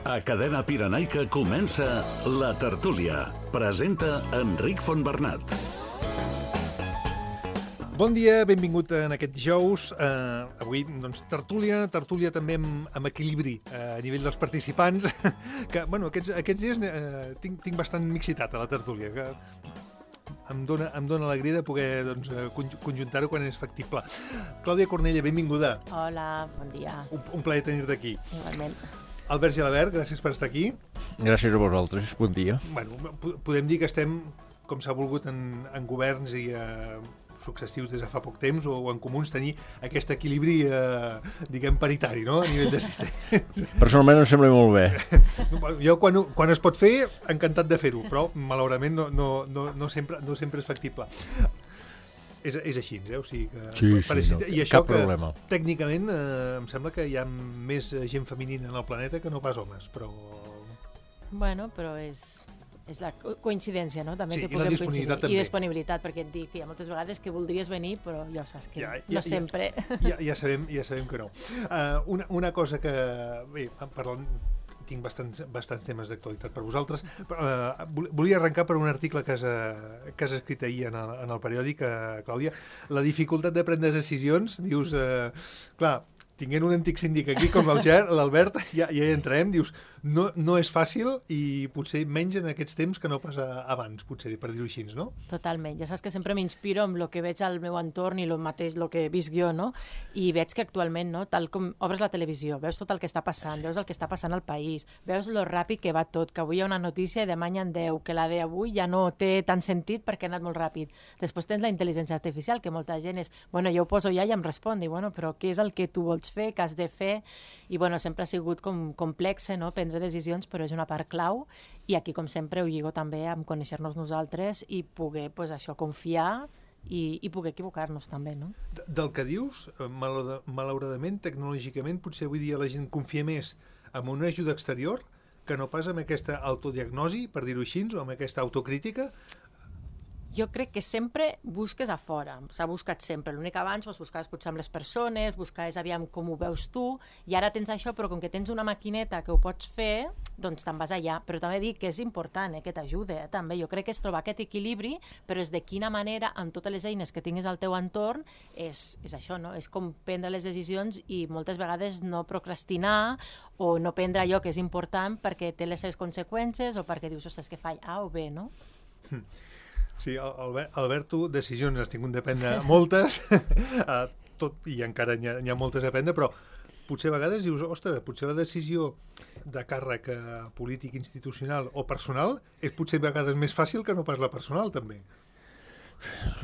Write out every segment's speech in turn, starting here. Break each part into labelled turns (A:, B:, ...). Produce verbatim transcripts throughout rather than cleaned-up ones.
A: A Cadena Pirenaica comença La Tertúlia. Presenta Enric Fontbernat.
B: Bon dia, benvingut en aquest dijous. Uh, avui, doncs, tertúlia, tertúlia també amb, amb equilibri uh, a nivell dels participants, que, bueno, aquests, aquests dies uh, tinc, tinc bastant mixitat a la tertúlia, que em dona, em dona alegria de poder doncs, conjuntar-ho quan és factible. Clàudia Cornella, benvinguda.
C: Hola, bon dia.
B: Un, un plaer tenir-te aquí.
C: Igualment.
B: Albert Gelabert, gràcies per estar aquí.
D: Gràcies a vosaltres, bon dia.
B: Bueno, podem dir que estem, com s'ha volgut en, en governs i uh, successius des de fa poc temps, o, o en comuns, tenir aquest equilibri, eh, diguem, paritari, no?, a nivell d'assistència.
D: Personalment em sembla molt bé.
B: Jo, quan, quan es pot fer, encantat de fer-ho, però, malauradament, no, no, no, no, sempre, no sempre és factible. És, és així, eh? O sigui que,
D: sí,
B: per
D: sí, no,
B: I això
D: cap
B: que,
D: problema.
B: Tècnicament, eh, em sembla que hi ha més gent femenina en el planeta que no pas homes, però...
C: Bueno, però és... és la coincidència, no? També
B: sí,
C: que puguem
B: coincidir.
C: També. I disponibilitat, perquè et dic, hi ha moltes vegades que voldries venir, però ja saps que ja, ja, no sempre...
B: Ja, ja, sabem, ja sabem que no. Uh, una, una cosa que... Bé, parlant... tinc bastants, bastants temes d'actualitat per vosaltres. Uh, volia arrencar per un article que has, que has escrit ahir en el, en el periòdic, uh, Clàudia. La dificultat de prendre decisions, dius... Uh, clar, tinguent un antic síndic aquí com l'Albert, ja, ja hi entrarem, dius, no, no és fàcil i potser menys en aquests temps que no pas abans, potser, per dir-ho així, no?
C: Totalment. Ja saps que sempre m'inspiro amb el que veig al meu entorn i el mateix, el que visc jo, no? I veig que actualment, no, tal com obres la televisió, veus tot el que està passant, veus el que està passant al país, veus lo ràpid que va tot, que avui hi ha una notícia i demà hi ha deu, que la d'avui ja no té tant sentit perquè ha anat molt ràpid. Després tens la intel·ligència artificial, que molta gent és, bueno, jo ho poso ja i em respon, i bueno, però què és el que tu vols fer, que has de fer, i bueno, sempre ha sigut com complexe, no?, prendre decisions, però és una part clau, i aquí, com sempre, ho lligo també amb conèixer-nos nosaltres i poder, pues, això, confiar i, i poder equivocar-nos també, no?
B: Del que dius, malauradament, tecnològicament, potser avui dia la gent confia més en una ajuda exterior que no pas amb aquesta autodiagnosi, per dir-ho així, o amb aquesta autocrítica.
C: Jo crec que sempre busques a fora, s'ha buscat sempre. L'únic que abans doncs, buscaves potser amb les persones, buscaves aviam com ho veus tu, i ara tens això, però com que tens una maquineta que ho pots fer, doncs te'n vas allà. Però també dic que és important eh, que t'ajude, eh, també. Jo crec que és trobar aquest equilibri, però és de quina manera, amb totes les eines que tinguis al teu entorn, és, és això, no? És com prendre les decisions i moltes vegades no procrastinar o no prendre allò que és important perquè té les seves conseqüències o perquè dius, ostres, que faig A o B, no?
B: Hm. Sí, Albert, Albert, tu decisions has tingut de prendre moltes, uh, tot, i encara n'hi ha, n'hi ha moltes a prendre, però potser a vegades dius, ostres, potser la decisió de càrrec polític, institucional o personal és potser a vegades més fàcil que no pas la personal, també.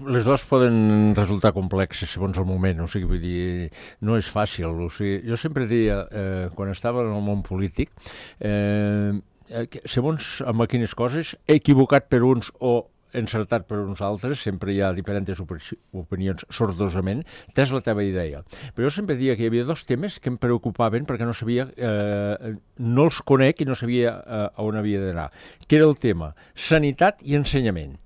D: Les dues poden resultar complexes segons el moment, o sigui, vull dir, no és fàcil. O sigui, jo sempre deia, eh, quan estava en el món polític, eh, segons amb quines coses, he equivocat per uns o encertat per uns altres, sempre hi ha diferents opinions sordosament, tens la teva idea. Però jo sempre deia que hi havia dos temes que em preocupaven perquè no sabia, eh, no els conec i no sabia eh, on havia d'anar, que era el tema sanitat i ensenyament.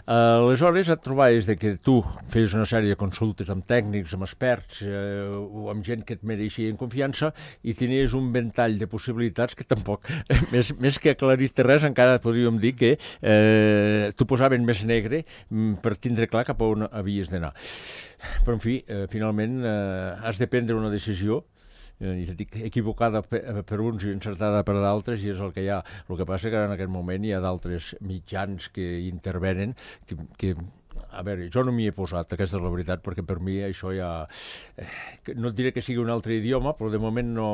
D: Uh, aleshores et trobaves de que tu feies una sèrie de consultes amb tècnics, amb experts eh, o amb gent que et mereixia en confiança i tenies un ventall de possibilitats que tampoc, més, més que aclarir-te res, encara podríem dir que eh, t'ho posaven més negre per tindre clar cap a on havies d'anar. Però, en fi, eh, finalment eh, has de prendre una decisió, i et dic, equivocada per uns i encertada per d'altres, i és el que hi ha. El que passa que en aquest moment hi ha d'altres mitjans que intervenen que, que a veure, jo no m'hi he posat, aquesta és la veritat, perquè per mi això ja... Eh, no et diré que sigui un altre idioma, però de moment no,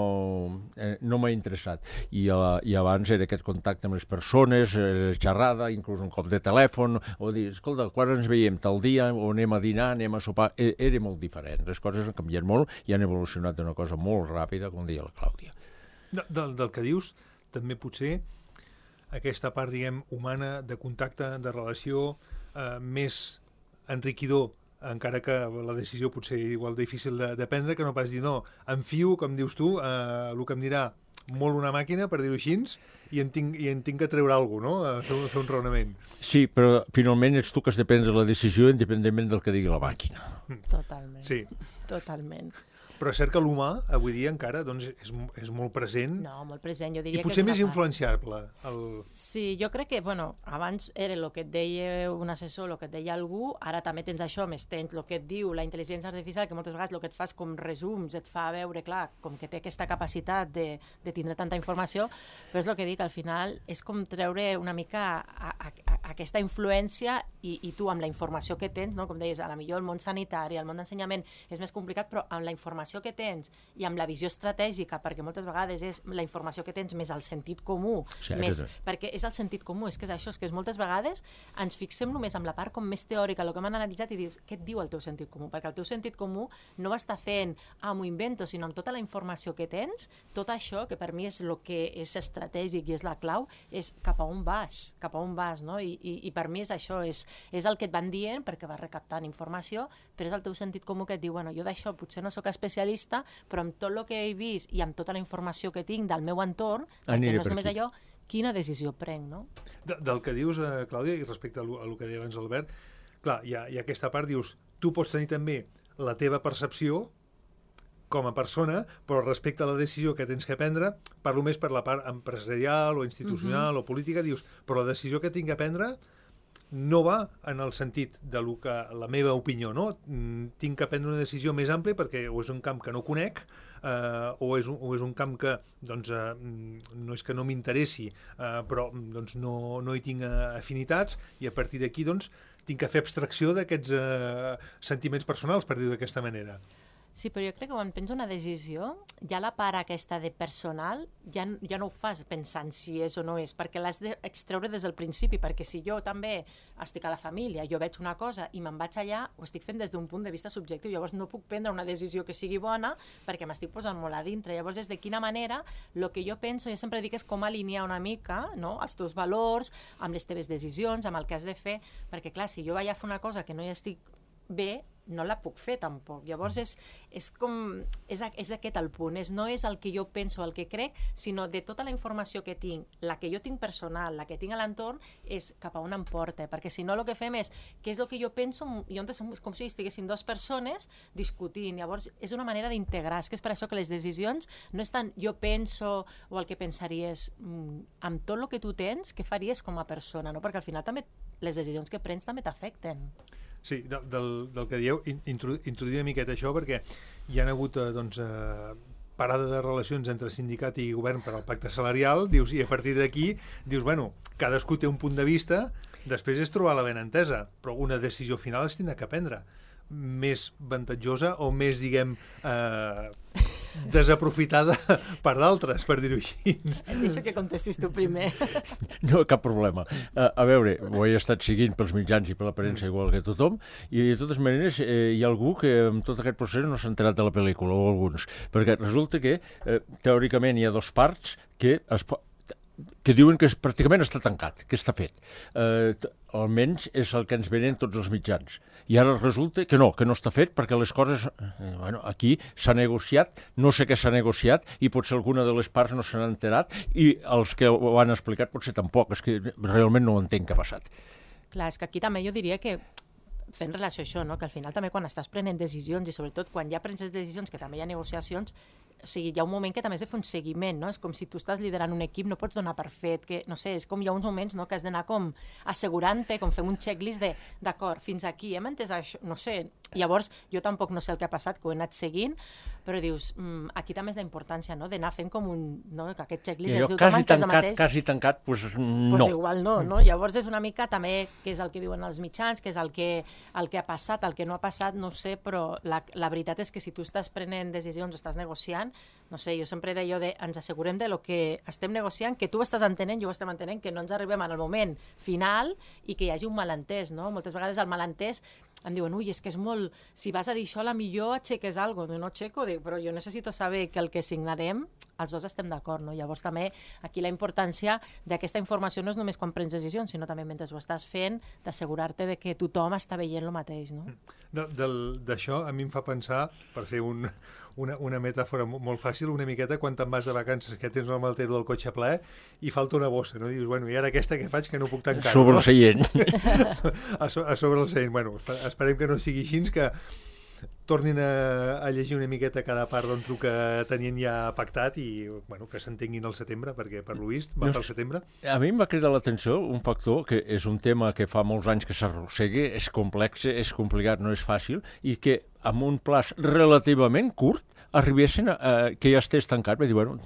D: eh, no m'ha interessat. I, uh, I abans era aquest contacte amb les persones, eh, xerrada, inclús un cop de telèfon, o dir, escolta, quan ens veiem tal dia, o anem a dinar, anem a sopar... E era molt diferent. Les coses han canviat molt i han evolucionat d'una cosa molt ràpida, com deia la Clàudia.
B: Del, del que dius, també potser aquesta part, diguem, humana, de contacte, de relació, eh, més enriquidor, encara que la decisió potser igual difícil de, de prendre, que no pas dir no, em fio, com dius tu, eh, el que em dirà molt una màquina, per dir-ho així, i en tinc, i en tinc que treure alguna cosa, no? A fer, a fer un raonament.
D: Sí, però finalment ets tu que has de prendre la decisió independentment del que digui la màquina.
C: Totalment.
B: Sí.
C: Totalment.
B: però és cert que l'humà, avui dia encara, doncs, és, és molt present.
C: No, molt present, jo diria
B: I
C: que
B: potser
C: és una
B: més
C: part.
B: influenciable. El...
C: Sí, jo crec que, bueno, abans era el que et deia un assessor, el que et deia algú, ara també tens això, més tens el que et diu la intel·ligència artificial, que moltes vegades el que et fa és com resums, et fa veure, clar, com que té aquesta capacitat de, de tindre tanta informació, però és el que dic, al final és com treure una mica a, a, a aquesta influència i, i tu amb la informació que tens, no? Com deies, a la millor el món sanitari, el món d'ensenyament és més complicat, però amb la informació que tens i amb la visió estratègica, perquè moltes vegades és la informació que tens més el sentit comú,
D: Sí,
C: més,
D: aquest-
C: perquè és el sentit comú, és que és això, és que és moltes vegades ens fixem només amb la part com més teòrica, el que hem analitzat i dius, què et diu el teu sentit comú? Perquè el teu sentit comú no va estar fent, ah, m'ho invento, sinó amb tota la informació que tens, tot això, que per mi és el que és estratègic i és la clau, és cap a on vas, cap a on vas, no? I, i, i per mi és això, és, és el que et van dient perquè vas recaptant informació, però és el teu sentit comú que et diu, bueno, jo d'això potser no sóc especialista, però amb tot el que he vist i amb tota la informació que tinc del meu entorn,
D: Aniré
C: perquè no és
D: per
C: només
D: aquí.
C: allò, quina decisió prenc, no?
B: De, del que dius, eh, Clàudia, i respecte a lo, a lo que deia abans Albert, clar, hi ha, hi ha aquesta part, dius, tu pots tenir també la teva percepció com a persona, però respecte a la decisió que tens que prendre, parlo més per la part empresarial o institucional o política, dius, però la decisió que tinc que prendre no va en el sentit de lo que, la meva opinió, no? Mm, tinc que prendre una decisió més àmplia perquè o és un camp que no conec eh, o, és un, o és un camp que doncs, eh, no és que no m'interessi, eh, però doncs, no, no hi tinc eh, afinitats i a partir d'aquí doncs, tinc que fer abstracció d'aquests eh, sentiments personals, per dir-ho d'aquesta manera.
C: Sí, però jo crec que quan penso una decisió, ja la part aquesta de personal ja, ja no ho fas pensant si és o no és, perquè l'has d'extreure des del principi, perquè si jo també estic a la família, jo veig una cosa i me'n vaig allà, ho estic fent des d'un punt de vista subjectiu, llavors no puc prendre una decisió que sigui bona perquè m'estic posant molt a dintre. Llavors és de quina manera el que jo penso, jo sempre dic és com alinear una mica, no?, els teus valors amb les teves decisions, amb el que has de fer, perquè clar, si jo vaig a fer una cosa que no hi estic bé, no la puc fer tampoc. Llavors és, és com, és, és aquest el punt, és, no és el que jo penso, el que crec, sinó de tota la informació que tinc, la que jo tinc personal, la que tinc a l'entorn, és cap a on em porta, perquè si no el que fem és, què és el que jo penso, i on és com si estiguessin dues persones discutint, llavors és una manera d'integrar, és que és per això que les decisions no és tant jo penso o el que pensaries, mm, amb tot el que tu tens, què faries com a persona, no? Perquè al final també les decisions que prens també t'afecten.
B: Sí, del, del, del que dieu, introduir una miqueta això, perquè hi ha hagut eh, doncs, eh, parada de relacions entre sindicat i govern per al pacte salarial, dius, i a partir d'aquí dius, bueno, cadascú té un punt de vista, després és trobar la benentesa, però una decisió final es tindrà que prendre, més avantatjosa o més, diguem, eh, desaprofitada per d'altres, per dir-ho així.
C: Et deixo que contestis tu primer.
D: No, cap problema. A, a veure, ho he estat seguint pels mitjans i per la premsa igual que tothom, i de totes maneres eh, hi ha algú que en tot aquest procés no s'ha enterat de la pel·lícula, o alguns, perquè resulta que eh, teòricament hi ha dos parts que es po- que diuen que és, pràcticament està tancat, que està fet. Eh, t- almenys és el que ens venen tots els mitjans. I ara resulta que no, que no està fet perquè les coses... Eh, bueno, aquí s'ha negociat, no sé què s'ha negociat i potser alguna de les parts no se n'ha enterat i els que ho han explicat potser tampoc, és que realment no ho entenc què ha passat.
C: Clar, és que aquí també jo diria que fent relació a això, no? Que al final també quan estàs prenent decisions i sobretot quan ja prens les decisions, que també hi ha negociacions, o sigui, hi ha un moment que també has de fer un seguiment, no? És com si tu estàs liderant un equip, no pots donar per fet, que, no sé, és com hi ha uns moments, no?, que has d'anar com assegurant-te, com fem un checklist de, d'acord, fins aquí, hem entès això, no sé, llavors jo tampoc no sé el que ha passat, que ho he anat seguint, però dius, mm, aquí també és la importància, no?, d'anar fent com un, no?, que aquest checklist...
D: I allò,
C: diu,
D: quasi
C: "Toma, que és el
D: tancat,
C: mateix".
D: quasi tancat, doncs no.
C: Pues igual no, no? Llavors és una mica també què és el que diuen els mitjans, què és el que, el que ha passat, el que no ha passat, no ho sé, però la, la veritat és que si tu estàs prenent decisions, estàs negociant, no sé, jo sempre era jo de, ens assegurem de lo que estem negociant, que tu ho estàs entenent, jo ho estem entenent, que no ens arribem en el moment final i que hi hagi un malentès, no? Moltes vegades el malentès em diuen, ui, és que és molt... Si vas a dir això, a la millor aixeques alguna cosa. No aixeco, dic, però jo necessito saber que el que signarem, els dos estem d'acord, no? Llavors també aquí la importància d'aquesta informació no és només quan prens decisions, sinó també mentre ho estàs fent, d'assegurar-te de que tothom està veient el mateix, no?
B: De, del, d'això a mi em fa pensar, per fer un, una, una metàfora molt fàcil, una miqueta quan te'n vas de vacances, que tens el maltero del cotxe ple i falta una bossa, no? Dius, bueno, i ara aquesta que faig que no puc tancar.
D: Sobre
B: no?
D: el seient.
B: a, so, a sobre el seient. Bueno, esperem que no sigui així, que tornin a, a llegir una miqueta cada part doncs, el que tenien ja pactat i bueno, que s'entenguin al setembre, perquè per lo vist va pel setembre.
D: A mi em va cridar l'atenció un factor que és un tema que fa molts anys que s'arrossega, és complex, és complicat, no és fàcil, i que amb un plaç relativament curt arribessin a, a que ja estés tancat. Vaig dir, bueno,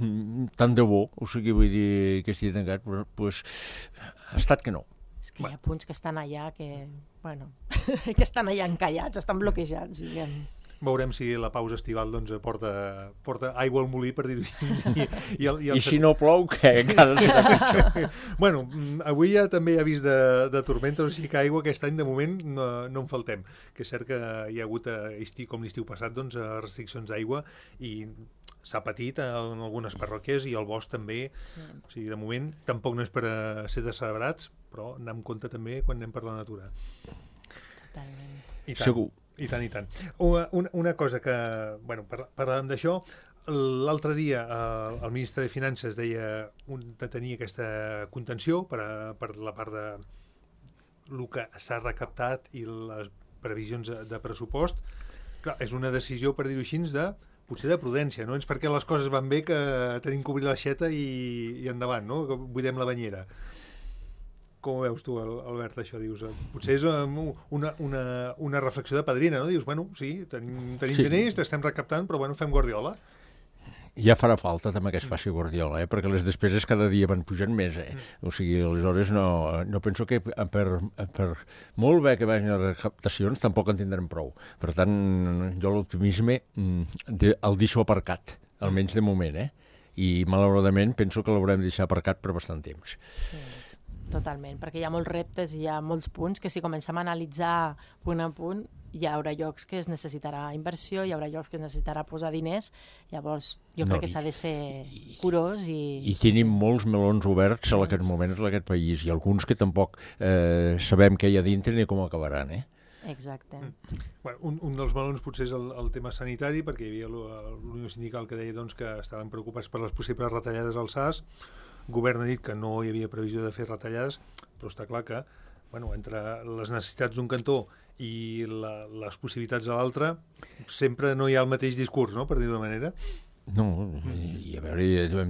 D: tant de bo, o sigui, vull dir que estigui tancat, però pues, ha estat que no.
C: És que hi ha punts que estan allà que, bueno, que estan allà encallats, estan bloquejats, diguem.
B: Veurem si la pausa estival doncs, porta, porta aigua al molí, per dir-ho així. I, i, el, i, el...
D: I si no plou, què? Encara serà pitjor.
B: Bueno, avui ja també hi ha vist de, de tormentes, o sigui que aigua aquest any de moment no, no en faltem. Que és cert que hi ha hagut, estiu, com l'estiu passat, doncs, restriccions d'aigua i s'ha patit en algunes parròquies i el bosc també. Sí. O sigui, de moment tampoc no és per a ser decelebrats, però anem amb compte també quan anem per la natura.
C: Totalment.
B: I tant,
D: Segur.
B: I tant, i tant. Una, una, una cosa que, bueno, parlàvem d'això, l'altre dia eh, el ministre de Finances deia un, de tenir aquesta contenció per, a, per la part de el que s'ha recaptat i les previsions de, de pressupost. Clar, és una decisió, per dir-ho així, de potser de prudència, no? És perquè les coses van bé que tenim que obrir l'aixeta i, i endavant, no? Que buidem la banyera. Com ho veus tu, Albert, això? Dius, potser és una, una, una reflexió de padrina, no? Dius, bueno, sí, tenim, tenim sí. diners, estem recaptant, però bueno, fem Guardiola.
D: Ja farà falta també que es faci Guardiola, eh? Perquè les despeses cada dia van pujant més. Eh? O sigui, aleshores no, no penso que per, per molt bé que vagin les recaptacions tampoc en tindrem prou. Per tant, jo l'optimisme de, el deixo aparcat, almenys de moment, eh? I malauradament penso que l'haurem de deixar aparcat per bastant temps.
C: Sí. Totalment, perquè hi ha molts reptes i hi ha molts punts que si comencem a analitzar punt a punt hi haurà llocs que es necessitarà inversió, hi haurà llocs que es necessitarà posar diners, llavors jo
D: no,
C: crec que s'ha de ser curós i...
D: I tenim sí. molts melons oberts en aquest moment en aquest país i alguns que tampoc eh, sabem què hi ha dintre ni com acabaran, eh?
C: Exacte.
B: Mm. Bueno, un, un dels melons potser és el, el tema sanitari, perquè hi havia l'Unió Sindical que deia doncs, que estaven preocupats per les possibles retallades al S A S. El govern ha dit que no hi havia previsió de fer retallades, però està clar que bueno, entre les necessitats d'un cantó i la, les possibilitats de l'altre sempre no hi ha el mateix discurs, no?, per dir-ho d'una manera.
D: No, i a veure,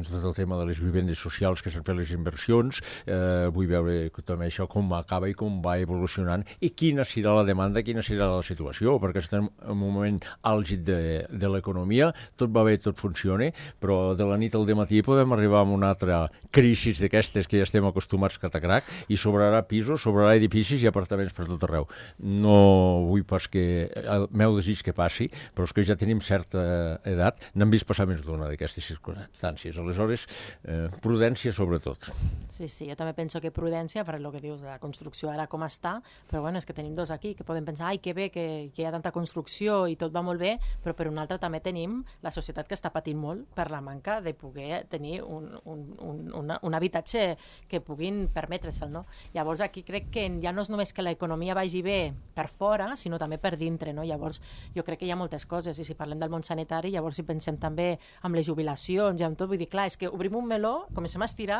D: tot el tema de les vivendes socials que s'han fet les inversions, eh, vull veure també això com acaba i com va evolucionant i quina serà la demanda, quina serà la situació, perquè estem en un moment àlgid de, de l'economia, tot va bé, tot funciona, però de la nit al dematí podem arribar a una altra crisi d'aquestes que ja estem acostumats catacrac i sobrarà pisos, sobrarà edificis i apartaments per tot arreu. No vull pas que el meu desig que passi, però és que ja tenim certa edat, n'hem vist passar més d'una d'aquestes circumstàncies. Aleshores, eh, prudència sobretot.
C: Sí, sí, jo també penso que prudència, per el que dius, la construcció ara com està, però bueno, és que tenim dos aquí que poden pensar, ai, que bé, que, que hi ha tanta construcció i tot va molt bé, però per un altre també tenim la societat que està patint molt per la manca de poder tenir un, un, un, un, un habitatge que puguin permetre-se'l, no? Llavors aquí crec que ja no és només que l'economia vagi bé per fora, sinó també per dintre, no? Llavors jo crec que hi ha moltes coses, i si parlem del món sanitari, llavors si pensem també amb les jubilacions i amb tot, vull dir, clar, és que obrim un meló, comencem a estirar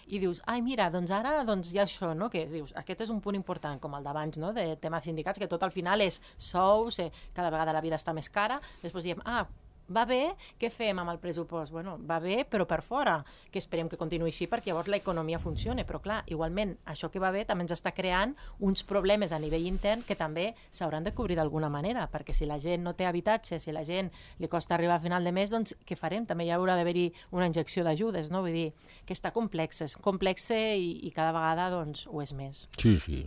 C: i dius, ai, mira, doncs ara doncs hi ha això, no? Que dius, aquest és un punt important, com el d'abans, no? De tema sindicats, que tot al final és sous, eh, cada vegada la vida està més cara, després diem, ah, va bé, què fem amb el pressupost? Bueno, va bé, però per fora, que esperem que continuï així perquè llavors l'economia funcioni, però clar, igualment, això que va bé també ens està creant uns problemes a nivell intern que també s'hauran de cobrir d'alguna manera, perquè si la gent no té habitatge, si la gent li costa arribar a final de mes, doncs què farem? També hi haurà d'haver-hi una injecció d'ajudes, no? Vull dir, que està complex, és complex i, i cada vegada doncs ho és més.
D: Sí, sí,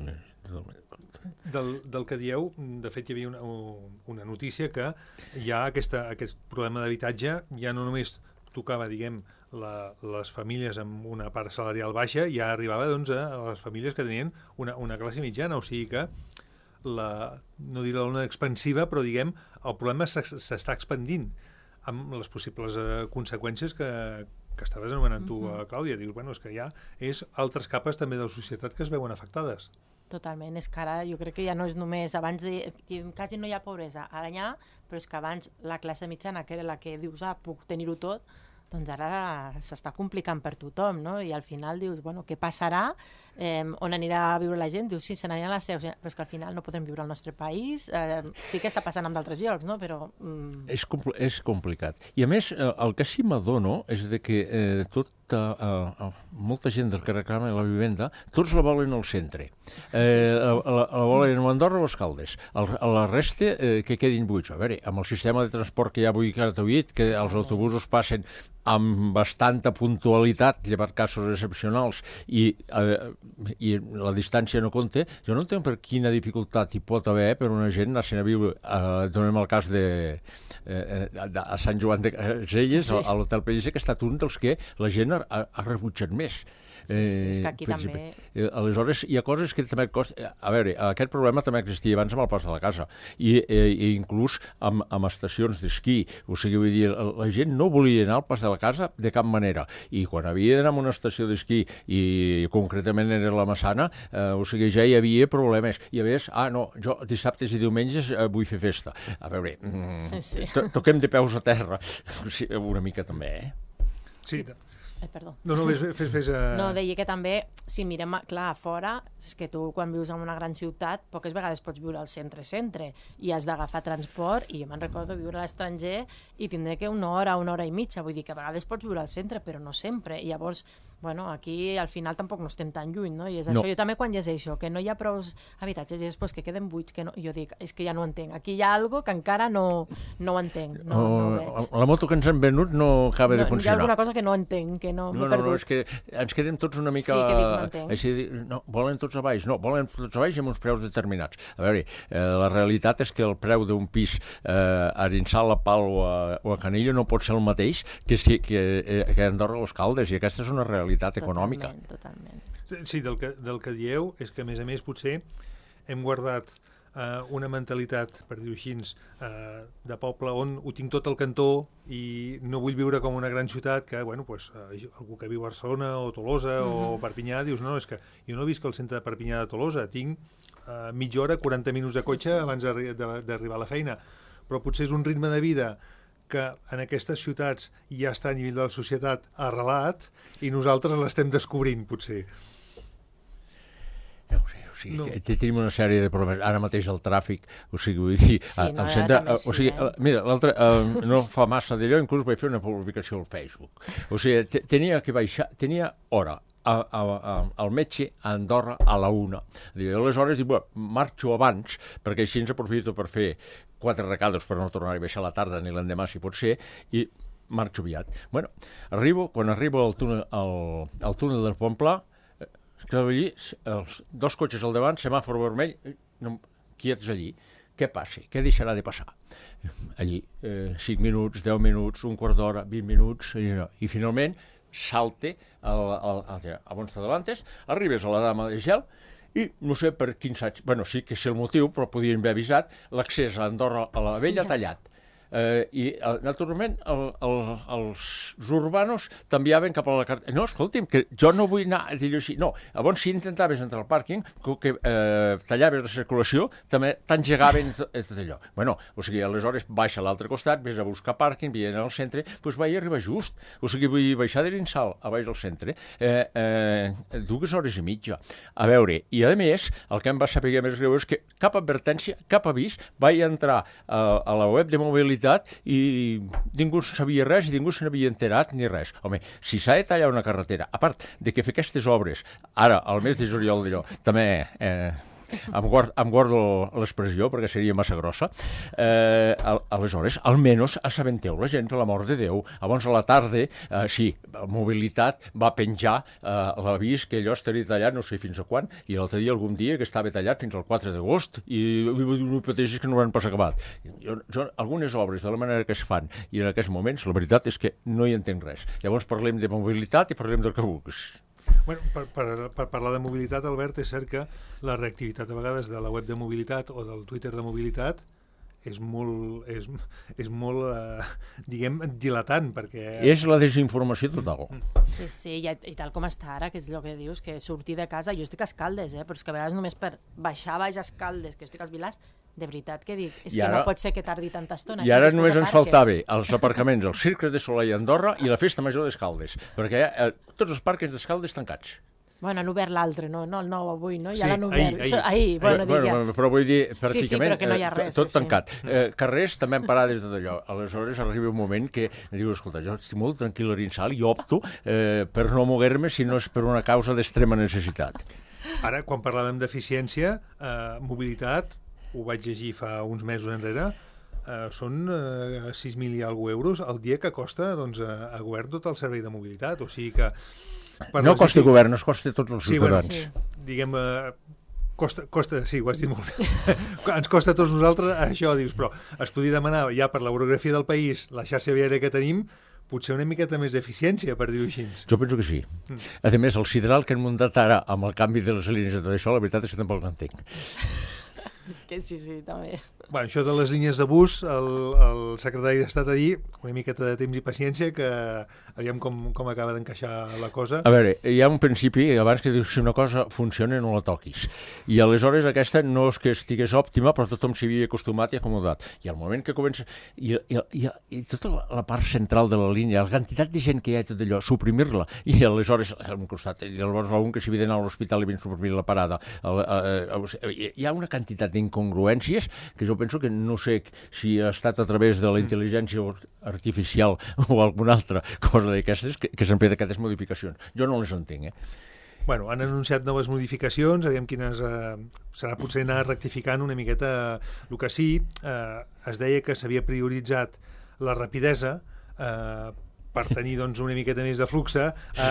B: Del, del que dieu, de fet hi havia una, una notícia que hi ha aquesta, aquest problema d'habitatge, ja no només tocava, diguem, la, les famílies amb una part salarial baixa, ja arribava doncs, a les famílies que tenien una, una classe mitjana, o sigui que la, no diré l'ona expansiva, però diguem, el problema s'està expandint amb les possibles eh, conseqüències que, que estaves anomenant tu, uh, Clàudia. Dius, bueno, és que ja és altres capes també de la societat que es veuen afectades.
C: Totalment, és que ara jo crec que ja no és només, abans de, que quasi no hi ha pobresa, ara hi ha, però és que abans la classe mitjana, que era la que dius, ah, puc tenir-ho tot, doncs ara s'està complicant per tothom, no? I al final dius, bueno, què passarà? Eh, on anirà a viure la gent? Dius, sí, se n'anirà a la seu, però és que al final no podem viure al nostre país. Eh, sí que està passant en d'altres llocs, no? Però... Mm...
D: És, compl és complicat. I a més, eh, el que sí m'adono és de que eh, tota, eh, molta gent del que reclama la vivenda, tots la volen al centre. Eh, la, la, la volen a Andorra o a Escaldes. El, a la resta eh, que quedin buits. A veure, amb el sistema de transport que hi ha avui gratuït, que els autobusos passen amb bastanta puntualitat, llevat casos excepcionals, i, eh, i la distància no compta, jo no entenc per quina dificultat hi pot haver per una gent anar-se'n a viure, eh, donem el cas de, eh, de a Sant Joan de Caselles, sí. a l'Hotel Pellicer, que ha estat un dels que la gent ha, ha rebutjat més.
C: Sí, sí, és que aquí també...
D: Eh, aleshores, hi ha coses que també costa... A veure, aquest problema també existia abans amb el pas de la casa, i, eh, i inclús amb, amb estacions d'esquí. O sigui, vull dir, la gent no volia anar al pas de la casa de cap manera, i quan havia d'anar a una estació d'esquí, i concretament era la Massana, eh, o sigui, ja hi havia problemes. I a més, ah, no, jo dissabtes i diumenges eh, vull fer festa. A veure, mm, sí, sí. To toquem de peus a terra. Sí, una mica també, eh?
B: Sí,
C: sí. Ai, perdó.
B: No, no, fes... fes, fes uh...
C: No, deia que també, si mirem, clar, a fora, és que tu quan vius en una gran ciutat, poques vegades pots viure al centre-centre i has d'agafar transport, i jo me'n recordo viure a l'estranger i tindré que una hora, una hora i mitja, vull dir que a vegades pots viure al centre, però no sempre, i llavors, bueno, aquí al final tampoc no estem tan lluny, no? I és no. això, jo també quan llegeixo, que no hi ha prou habitatges i després que queden buits, que no, jo dic, és que ja no ho entenc, aquí hi ha algo que encara no, no ho entenc, no, oh, no ho veig.
D: La moto que ens han venut no acaba
C: no,
D: de funcionar.
C: Hi ha alguna cosa que no entenc, que no,
D: no, no, no, és que ens quedem tots una mica...
C: Sí, que dic, no entenc.
D: Així, no, volen tots a baix, no, volen tots a baix amb uns preus determinats. A veure, eh, la realitat és que el preu d'un pis eh, a Arinsal, a Pal o a, o a Canillo no pot ser el mateix que, que, que, que a Andorra o Escaldes, i aquesta és una realitat econòmica.
C: Totalment, totalment.
B: Sí, del que, del que dieu és que, a més a més, potser hem guardat eh, una mentalitat, per dir-ho així, eh, de poble on ho tinc tot al cantó i no vull viure com una gran ciutat que, bueno, pues, eh, algú que viu a Barcelona o Tolosa mm-hmm. o Perpinyà, dius, no, és que jo no visc al centre de Perpinyà de Tolosa, tinc eh, mitja hora, quaranta minuts de cotxe sí, sí. abans d'arribar a la feina, però potser és un ritme de vida que en aquestes ciutats ja està a nivell de la societat arrelat i nosaltres l'estem descobrint, potser.
D: No ho sé, o sigui, no. tenim una sèrie de problemes. Ara mateix el tràfic, o sigui, vull dir...
C: Sí, no,
D: centre,
C: també
D: o sigui,
C: sí, eh?
D: Mira, l'altre, uh, no fa massa d'allò, inclús vaig fer una publicació al Facebook. O sigui, tenia que baixar, tenia hora, A, a, a, al metge a Andorra a la una. I aleshores dic, bueno, marxo abans, perquè així ens aprofito per fer quatre recados per no tornar a baixar a la tarda ni l'endemà, si pot ser, i marxo aviat. Bueno, arribo, quan arribo al túnel, al, al túnel del Pont Pla, que allí, els dos cotxes al davant, semàfor vermell, no, quiets allí. Què passa? Què deixarà de passar? Allí, eh, cinc minuts, deu minuts, un quart d'hora, vint minuts, i, no. I finalment salte a Bons Adelantes, arribes a la Dama de Gel i no sé per quins anys, bueno, sí que és el motiu, però podien haver avisat, l'accés a Andorra a la Vella tallat. Eh, I, naturalment, el, el, els urbanos t'enviaven cap a la carta. No, escolti'm, que jo no vull anar a dir-ho així. No, llavors, si intentaves entrar al pàrquing, que eh, tallaves la circulació, també t'engegaven allò. Bueno, o sigui, aleshores baixa a l'altre costat, vés a buscar pàrquing, vien al centre, doncs vaig arribar just. O sigui, vull baixar de l'Insal a baix al centre, eh, eh, dues hores i mitja. A veure, i a més, el que em va saber més greu és que cap advertència, cap avís, vaig entrar a, a la web de mobilitat i ningú sabia res i ningú se n'havia enterat ni res. Home, si s'ha de tallar una carretera, a part de que fer aquestes obres, ara, al mes de juliol d'allò, també... Eh, em guardo, em guardo l'expressió perquè seria massa grossa, eh, aleshores, almenys assabenteu la gent, per l'amor de Déu. Abans a la tarda, eh, sí, Mobilitat va penjar eh, l'avís que allò estaria tallat no sé fins a quan, i l'altre dia algun dia que estava tallat fins al quatre d'agost, i no pateixis que no ho han pas acabat. Jo, jo, algunes obres de la manera que es fan i en aquests moments, la veritat és que no hi entenc res. Llavors parlem de mobilitat i parlem del que vulguis.
B: Bueno, per, per, per parlar de mobilitat, Albert, és cert que la reactivitat a vegades de la web de mobilitat o del Twitter de mobilitat és molt, és, és molt eh, diguem, dilatant, perquè...
D: És la desinformació total.
C: Sí, sí, i, i tal com està ara, que és el que dius, que sortir de casa, jo estic a Escaldes, eh, però és que a vegades només per baixar baix a Escaldes, que estic als Vilars, de veritat que dic, és
D: I
C: que
D: ara-
C: no pot ser que tardi tanta estona.
D: I ara
C: després
D: només ens
C: aparques.
D: faltava els aparcaments, els cirques de Soleil a Andorra i la festa major d'Escaldes, perquè eh, tots els parcs d'Escaldes tancats.
C: Bueno, han obert l'altre, no? No el nou avui, no? Ja
B: Sí,
C: l'han obert.
B: ahir, ahir.
C: So- ahir, bueno, dic ja.
D: bueno, però vull dir,
C: sí,
D: pràcticament
C: però que no hi ha
D: eh,
C: res,
D: tot
C: sí, sí.
D: tancat. Eh, carrers també han parat des de tot allò. Aleshores arriba un moment que dius, escolta, jo estic molt tranquil a Rinsal i opto eh, per no moguer-me si no és per una causa d'extrema necessitat.
B: Ara, quan parlàvem d'eficiència, eh, mobilitat, ho vaig llegir fa uns mesos enrere, eh, són eh, sis mil i alguna euros al dia que costa doncs, a, a govern tot el servei de mobilitat. O sigui que... per
D: No
B: les
D: costa
B: gestis-
D: govern, no es costa a tots els
B: Sí, bueno,
D: ciutadans.
C: Sí.
B: diguem, eh, costa, costa, sí, ho has dit molt bé. Ens costa a tots nosaltres això, dius, però es podria demanar ja per l'orografia del país, la xarxa viària que tenim, potser una miqueta més d'eficiència, per dir-ho així.
D: Jo penso que sí. A més, el sideral que han muntat ara amb el canvi de les línies de tot això, la veritat és que tampoc l'entenc.
C: És que sí, sí, també.
B: Bueno, això de les línies de bus, el, el secretari d'Estat ha dit una miqueta de temps i paciència, que aviam com, com acaba d'encaixar la cosa.
D: A veure, hi ha un principi, abans que dius, si una cosa funciona no la toquis. I aleshores aquesta no és que estigués òptima, però tothom s'hi havia acostumat i acomodat. I al moment que comença... I, i, i, i tota la, la part central de la línia, la quantitat de gent que hi ha i tot allò, suprimir-la. I aleshores, al costat, i llavors algun que s'hi havia d'anar a l'hospital i ben suprimir la parada. El, el, el, hi ha una quantitat d'incongruències que jo penso que no sé si ha estat a través de la intel·ligència artificial o alguna altra cosa d'aquestes que, que s'han fet aquestes modificacions. Jo no les entenc, eh?
B: Bueno, han anunciat noves modificacions, aviam quines... Eh, serà potser anar rectificant una miqueta. El que sí, eh, es deia que s'havia prioritzat la rapidesa eh, per tenir doncs, una miqueta més de fluxe a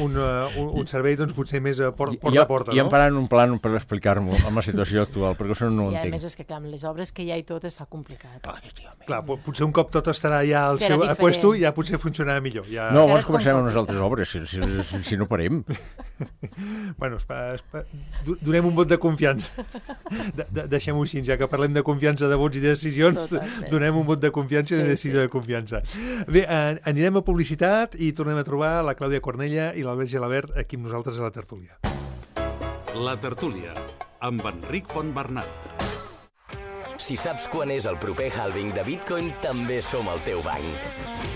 B: un, uh, un, un servei doncs, potser més a por porta
D: I,
B: a porta.
D: I em
B: No?
D: faran un plan per explicar-m'ho amb la situació actual, perquè això no ho
C: I a
D: entenc.
C: més és que, clar, amb les obres que hi ha i tot es fa complicat.
D: Clar que sí, home.
B: Clar, po- potser un cop tot estarà ja al
C: Serà
B: seu
C: diferent.
B: puesto, ja potser funcionarà millor. Ja...
D: No,
C: que ara
D: abans
C: és
D: comencem
C: com
D: amb unes
C: tot.
D: altres obres, si, si, si, si no parem.
B: Bueno, espa, espa, do- donem un vot de confiança. De, de, Deixem-ho així, ja que parlem de confiança de vots i de decisions,
C: Totalment.
B: donem un vot de confiança i una
C: Sí,
B: decisió
C: sí.
B: de confiança. Bé, eh, anirem a publicitat i tornem a trobar la Clàudia Cornella i l'Albert Gelabert aquí amb nosaltres a la tertúlia.
A: La tertúlia, amb Enric Fontbernat.
E: Si saps quan és el proper halving de Bitcoin, també som el teu banc.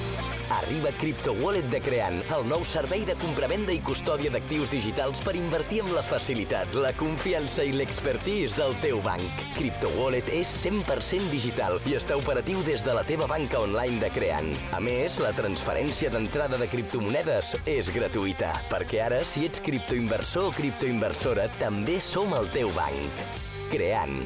E: Arriba Crypto Wallet de Creant, el nou servei de compravenda i custòdia d'actius digitals per invertir amb la facilitat, la confiança i l'expertise del teu banc. Crypto Wallet és cent per cent digital i està operatiu des de la teva banca online de Creant. A més, la transferència d'entrada de criptomonedes és gratuïta, perquè ara, si ets criptoinversor o criptoinversora, també som el teu banc. Creant.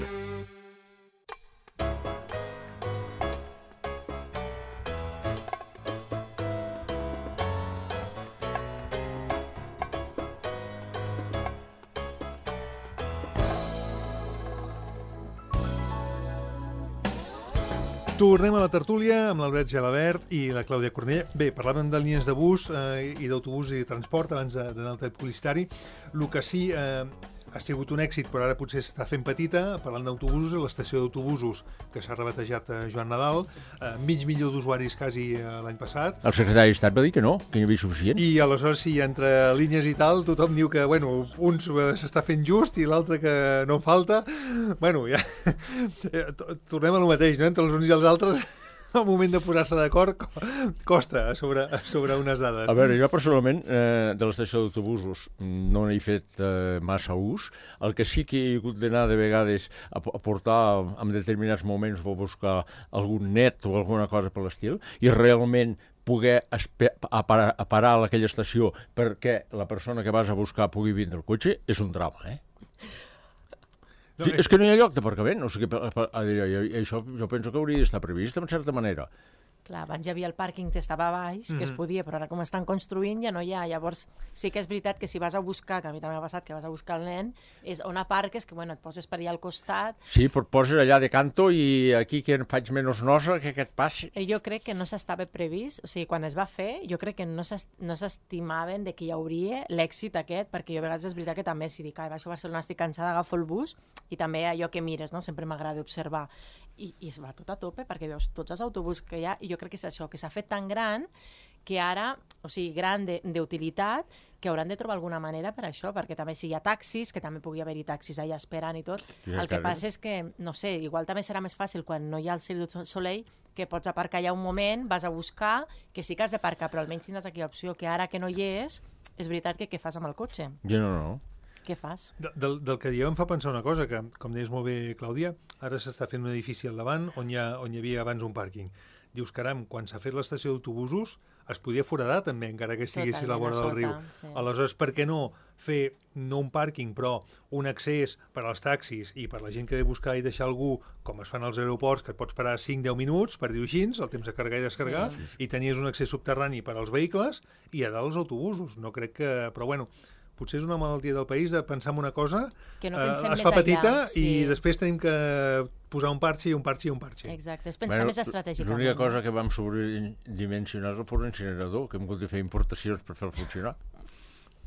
B: Tornem a la tertúlia amb l'Albert Gelabert i la Clàudia Cornella. Bé, parlàvem de línies de bus eh, i d'autobús i de transport abans de- d'anar al tall publicitari. El que sí eh, ha sigut un èxit, però ara potser s'està fent petita, parlant d'autobusos, l'estació d'autobusos que s'ha rebatejat a Joan Nadal, eh, mig milió d'usuaris quasi eh, l'any passat,
D: El secretari d'Estat va dir que no, que hi havia suficient.
B: i aleshores sí, entre línies i tal, tothom diu que, bueno, un s'està fent just i l'altre que no en falta. Bueno, ja... to- tornem a lo mateix, no? Entre els uns i els altres, al moment de posar-se d'acord, co- costa sobre, sobre unes dades.
D: A veure, jo personalment eh, de l'estació d'autobusos no n'he fet eh, massa ús. El que sí que he hagut d'anar de vegades a, a portar en determinats moments o buscar algun net o alguna cosa per l'estil i realment poder espe- a parar, a parar a aquella estació perquè la persona que vas a buscar pugui vindre el cotxe és un drama, eh?
B: No,
D: Sí,
B: és-
D: és que no hi ha lloc d'aparcament, o sigui, per- per- a dir, i- i això jo penso que hauria d'estar previst en certa manera.
C: Clar, abans hi havia el pàrquing que estava a baix, que es podia, però ara com estan construint ja no hi ha. Llavors sí que és veritat que si vas a buscar, que a mi també m'ha passat que vas a buscar el nen, és on aparques, que bueno, et poses per allà al costat.
D: Sí, però et poses allà de canto i aquí que en faig menys nosa, que aquest passi.
C: Eh, Jo crec que no s'estava previst, o sigui, quan es va fer, jo crec que no s'es- no s'estimaven de que hi hauria l'èxit aquest, perquè jo a vegades és veritat que també, si dic, ai, vaig a Barcelona, estic cansada, agafo el bus, i també allò que mires, no? Sempre m'agrada observar. I, I es va tot a tope, perquè veus tots els autobusos que hi ha, i jo crec que és això, que s'ha fet tan gran que ara, o sigui, gran d'utilitat, que hauran de trobar alguna manera per això, perquè també si hi ha taxis, que també pugui haver-hi taxis allà esperant i tot,
D: Ja,
C: el que
D: claro.
C: passa és que, no sé, igual també serà més fàcil quan no hi ha el Cirque du Soleil, que pots aparcar allà un moment, vas a buscar, que sí que has d'aparcar, però almenys tindràs aquí l'opció, que ara que no hi és, és veritat que què fas amb el cotxe?
D: Jo no, no.
C: Què fas?
B: De, del, del que dieu em fa pensar una cosa, que, com deies molt bé, Clàudia, ara s'està fent un edifici al davant on hi, ha, on hi havia abans un pàrquing. Dius, caram, quan s'ha fet l'estació d'autobusos es podia foradar també, encara que estigués a la vora del riu.
C: Sí.
B: Aleshores, per què no fer no un pàrquing, però un accés per als taxis i per la gent que ve a buscar i deixar algú, com es fan als aeroports, que et pots parar cinc a deu minuts, per dir-ho així, el temps de carregar i descarregar,
C: Sí.
B: i tenies un accés subterrani per als vehicles i a dalt els autobusos. No crec que... Però bueno, potser és una malaltia del país de pensar en una cosa,
C: Que no
B: eh,
C: pensem
B: es
C: més
B: fa
C: enllà,
B: petita
C: sí.
B: i després tenim que posar un parxe i un parxe i un parxe.
C: Exacte, és pensar més estratègicament.
D: L'única cosa que vam sobredimensionar és el forn incinerador, que hem hagut de fer importacions per fer-lo funcionar.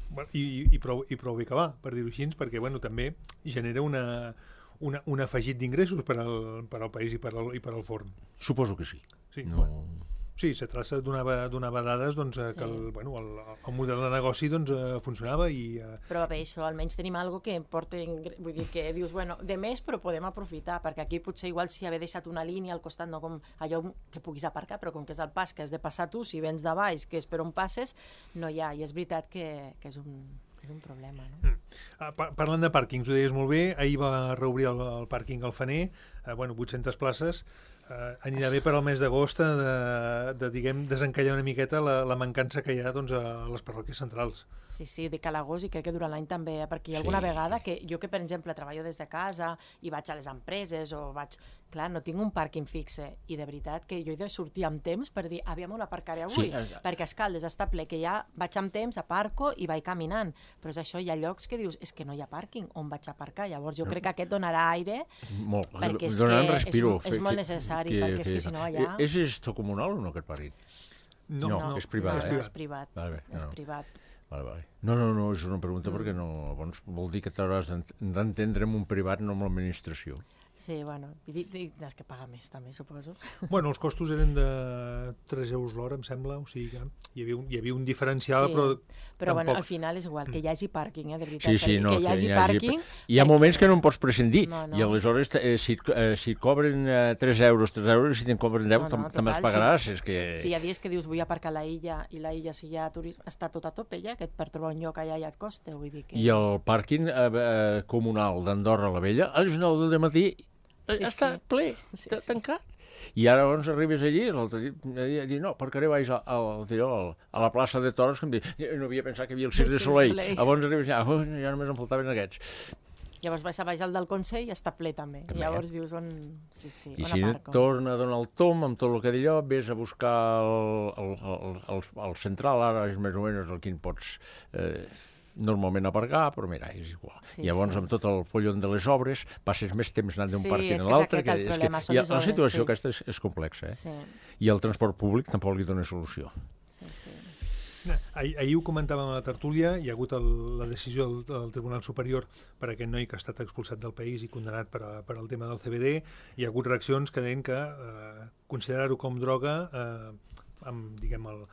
B: Bueno, i, i, prou, I prou bé que va, per dir-ho així, perquè bueno, també genera una, una, un afegit d'ingressos per, al, per al país i per al, i per al forn.
D: Suposo que sí.
B: Sí,
D: No...
B: bueno. Sí, se traça donava, donava dades doncs, eh, que el, bueno, el, el model de negoci doncs, eh, funcionava i... Eh,
C: Però bé, això, almenys tenim algo que porta... ingre- Vull dir que dius, bueno, de més, però podem aprofitar, perquè aquí potser igual si haver deixat una línia al costat, no com allò que puguis aparcar, però com que és el pas que has de passar tu, si vens de baix, que és per on passes, no hi ha, i és veritat que, que és, un, és un problema, no?
B: ah, par parlant de pàrquings, ho deies molt bé, ahir va reobrir el, el pàrquing al Fener, eh, bueno, vuit-centes places, eh, anirà bé per al mes d'agost de, de, diguem, desencallar una miqueta la, la mancança que hi ha doncs, a les parròquies centrals.
C: Sí, sí, de Calagós i crec que durant l'any també, eh, perquè hi ha alguna
D: Sí,
C: vegada
D: sí.
C: que jo que, per exemple, treballo des de casa i vaig a les empreses o vaig... Clar, no tinc un pàrquing fixe i de veritat que jo he de sortir amb temps per dir, aviam, on aparcaré avui,
D: Sí, eh,
C: perquè a Escaldes està ple, que ja vaig amb temps, aparco i vaig caminant, però és això, hi ha llocs que dius, és que no hi ha pàrquing, on vaig aparcar? Llavors jo crec que aquest donarà aire,
D: Molt.
C: perquè és
D: Donant
C: que
D: respiro.
C: és, és molt necessari, perquè és que si no allà...
D: És gestió comunal o no, aquest pàrquing?
B: No,
D: No, és privat,
C: no,
D: eh?
C: és privat,
D: Vale, bé,
C: és
D: no.
C: privat.
D: Vale, vale. No, no, no, és una pregunta perquè no, llavors vol dir que t'hauràs d'entendre amb un privat, no amb l'administració.
C: Sí, bueno, i, i, és que paga més també, suposo.
B: Bueno, els costos eren de tres euros l'hora, em sembla, o sigui que hi havia un, hi havia un diferencial,
C: Sí,
B: però,
C: però bueno,
B: tampoc...
C: al final és igual, que hi hagi pàrquing, eh, de veritat.
D: Sí, sí,
C: que,
D: no,
C: que hi hagi
D: hi
C: pàrquing...
D: Hi ha moments que no en pots prescindir,
C: No, no.
D: i aleshores eh, si, eh, si et cobren eh, tres euros, tres euros, si te'n cobren deu,
C: No, no,
D: tam
C: total,
D: també els
C: sí.
D: pagaràs. És que...
C: Si hi ha dies que dius vull aparcar a la illa i la illa si hi ha turisme està tot a tope ja, que per trobar un lloc allà ja et costa, vull dir que...
D: I el pàrquing eh, eh, comunal d'Andorra la Vella, a les nou del matí eh,
C: Sí,
D: està
C: sí.
D: ple,
C: Sí,
D: està
C: sí.
D: tancat. I ara llavors arribes allí, l'altre dia, a dir, no, aparcaré baix al, al, al, a la plaça de Toros, que em dic, no havia pensat que hi havia el Cirque
C: El
D: du
C: Cirque du
D: Soleil.
C: Soleil.
D: Llavors arribes allà, oh, ja només em faltaven aquests.
C: Llavors vas a baix al del Consell i està ple també.
D: També.
C: I llavors dius on... Sí, sí,
D: I
C: on
D: si
C: aparco.
D: torna a donar el tom amb tot el que d'allò, vés a buscar el, el, el, el, el central, ara és més o menys el que en pots eh, normalment aparcar, però mira, és igual.
C: Sí,
D: Llavors,
C: sí.
D: amb tot el follon de les obres, passes més temps anant d'un
C: Sí,
D: pàrquing
C: és
D: a
C: que és
D: l'altre.
C: aquest el problema, són
D: i
C: les
D: la
C: obres,
D: situació
C: sí.
D: aquesta és, és complexa, eh?
C: Sí,
D: I el transport públic tampoc li dona solució.
C: sí, sí.
B: Ahir, ahir ho comentàvem a la tertúlia, hi ha hagut el, la decisió del, del Tribunal Superior per aquest noi que ha estat expulsat del país i condenat per, a, per al tema del C B D. Hi ha hagut reaccions que deien que eh, considerar-ho com droga, eh, amb, diguem, el,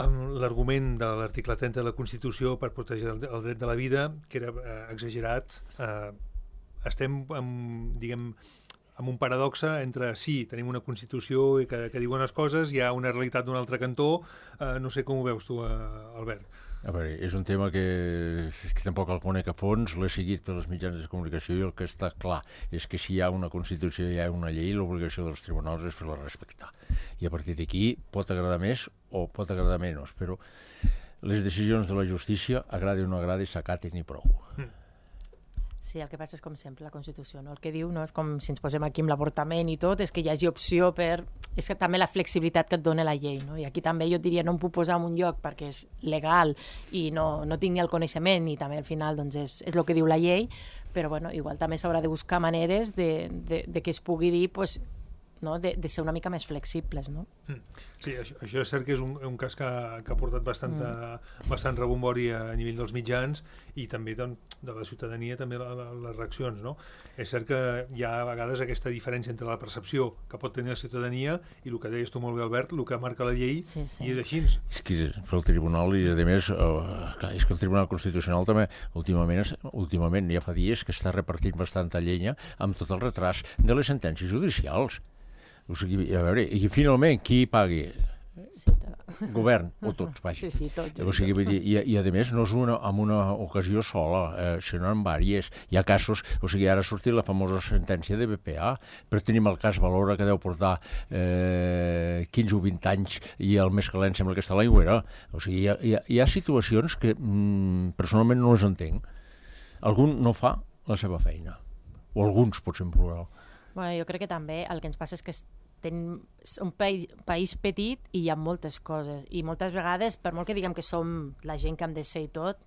B: amb l'argument de l'article trenta de la Constitució per protegir el, el dret de la vida, que era eh, exagerat. Eh, estem, amb, diguem, amb un paradoxa entre sí, tenim una Constitució que, que diu unes coses, hi ha una realitat d'un altre cantó, eh, no sé com ho veus tu, eh, Albert.
D: A veure, és un tema que, que tampoc el conec a fons, l'he seguit per les mitjans de comunicació i el que està clar és que si hi ha una Constitució i hi ha una llei, l'obligació dels tribunals és fer-la respectar. I a partir d'aquí pot agradar més o pot agradar menys, però les decisions de la justícia, agradi o no agradi, s'acaten i prou.
B: Mm.
C: Sí, el que passa és com sempre la Constitució, no? El que diu, no? És com si ens posem aquí amb l'avortament i tot, és que hi hagi opció per... És que també la flexibilitat que et dona la llei, no? I aquí també jo et diria no em puc posar en un lloc perquè és legal i no, no tinc ni el coneixement i també al final doncs és, és el que diu la llei, però bueno, igual també s'haurà de buscar maneres de, de, de que es pugui dir pues, no? de, de ser una mica més flexibles, no?
B: Sí, això, això és cert que és un, un cas que, que ha portat bastant, mm. bastant rebombori a nivell dels mitjans i també de, de la ciutadania, també la, la, les reaccions, no? És cert que hi ha a vegades aquesta diferència entre la percepció que pot tenir la ciutadania i el que deies tu molt bé, Albert, el que marca la llei, sí, sí. i és així.
D: És que el Tribunal, i a més, eh, és que el Tribunal Constitucional també últimament, últimament ja fa dies que està repartint bastanta llenya amb tot el retras de les sentències judicials. O sigui, a veure, i finalment qui pagui?
C: Ciutadà.
D: Govern, o tots, vaja.
C: Sí, sí, tots.
D: O sigui, vull dir, i, i a més no és una, en una ocasió sola, eh, sinó en vàries. Hi ha casos, o sigui, ara ha sortit la famosa sentència de B P A, però tenim el cas Valora, que deu portar eh, quinze o vint anys, i el més calent sembla que està a l'aigüera. O sigui, hi ha, hi ha, hi ha situacions que mm, personalment no les entenc. Algun no fa la seva feina, o alguns, potser en plural.
C: Bueno, jo crec que també el que ens passa és que tenim un país, país petit i hi ha moltes coses, i moltes vegades, per molt que diguem que som la gent que hem de ser i tot,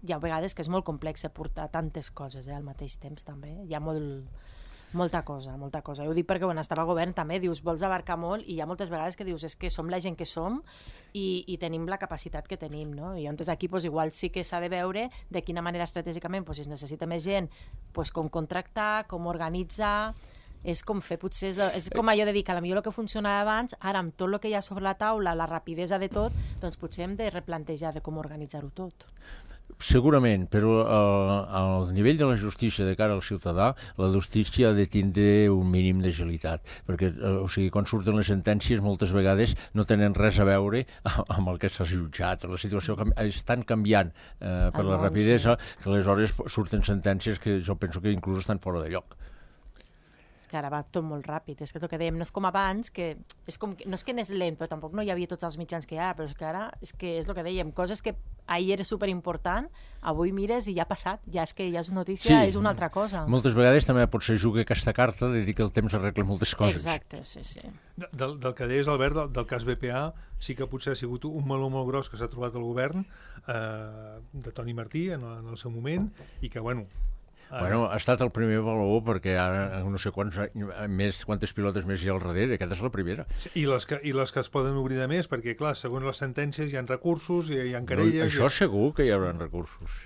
C: hi ha vegades que és molt complex portar tantes coses eh, al mateix temps també, hi ha molt, molta cosa, molta cosa. Jo ho dic perquè quan estava a govern també dius, vols abarcar molt, i hi ha moltes vegades que dius, és que som la gent que som i, i tenim la capacitat que tenim, no? I llavors aquí pues, igual sí que s'ha de veure de quina manera estratègicament pues, si es necessita més gent, pues, com contractar, com organitzar. És com fer, potser és, és com allò de dir que potser el que funcionava abans, ara amb tot el que hi ha sobre la taula, la rapidesa de tot, doncs potser hem de replantejar de com organitzar-ho tot.
D: Segurament, però eh, al nivell de la justícia de cara al ciutadà, la justícia ha de tindre un mínim d'agilitat, perquè eh, o sigui, quan surten les sentències moltes vegades no tenen res a veure amb el que s'ha jutjat. La situació és tan canviant eh, per la rapidesa que aleshores surten sentències que jo penso que inclús estan fora de lloc.
C: És que ara va tot molt ràpid, és que el que dèiem, no és com abans, que és com que, no és que anés lent, però tampoc no hi havia tots els mitjans que hi ha, però és que ara és, que és el que dèiem, coses que ahir era superimportant, avui mires i ja ha passat, ja és que ja és notícia, sí, és una altra cosa.
D: Moltes vegades també potser juga aquesta carta de dir que el temps arregla moltes coses.
C: Exacte, sí, sí.
B: Del, del que deies, Albert, del, del cas B P A, sí que potser ha sigut un meló molt gros que s'ha trobat el govern eh, de Toni Martí en, en el seu moment, i que, bueno,
D: Bueno, ha estat el primer valor perquè ara no sé quants, més, quantes pilotes més hi ha al darrere, aquesta és la primera.
B: I les que, i les que es poden obrir de més, perquè clar, segons les sentències hi ha recursos, hi ha, hi ha querelles...
D: No, això
B: ha...
D: segur que hi haurà recursos.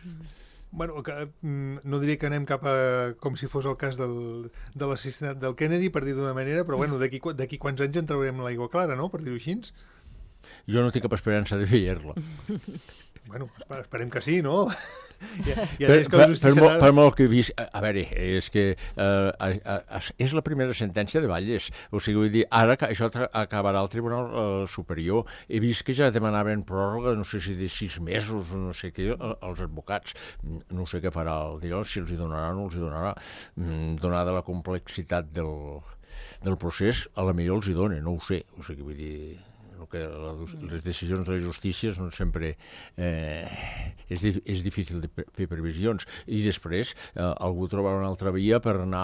B: Bueno, que, no diré que anem cap a com si fos el cas del, de l'assassinat del Kennedy, per dir d'una manera, però bueno, d'aquí d'aquí quants anys en traurem l'aigua clara, no?, per dir-ho així.
D: Jo no tinc cap esperança de veure-la.
B: Bueno, esperem que sí, no? Ja, ja
D: per,
B: que
D: per, per,
B: serà...
D: per molt que he vist, a, a veure, és que eh, és la primera sentència de Valles, o sigui, vull dir, ara que això acabarà al Tribunal eh, Superior, he vist que ja demanaven pròrroga, no sé si de sis mesos o no sé què, als advocats, no sé què farà el dia, si els hi donarà o no els hi donarà, donada la complexitat del, del procés, a la millor els hi dona, no ho sé, o sigui, vull dir... que la, les decisions de la justícia són sempre eh, és, és difícil de fer previsions, i després eh, algú trobarà una altra via per anar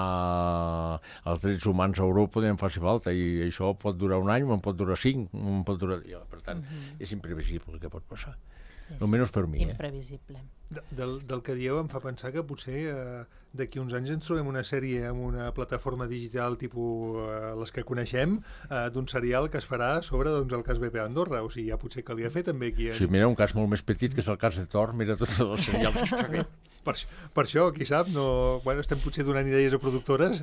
D: als drets humans a Europa en faci falta, i això pot durar un any, en pot durar cinc, en pot durar... Per tant, uh-huh. és imprevisible el que pot passar.
C: Sí,
D: almenys per mi.
C: Imprevisible.
B: Eh? De, del, del que dieu em fa pensar que potser eh, d'aquí uns anys ens trobem una sèrie amb una plataforma digital tipus eh, les que coneixem, eh, d'un serial que es farà sobre doncs, el cas B P A Andorra, o sigui, ja potser calia fer també aquí. Eh?
D: Sí, mira, un cas molt més petit que és el cas de Thor, mira tots els serials que s'ha fet.
B: Per, per això, qui sap, no, bueno, estem potser donant idees a productores,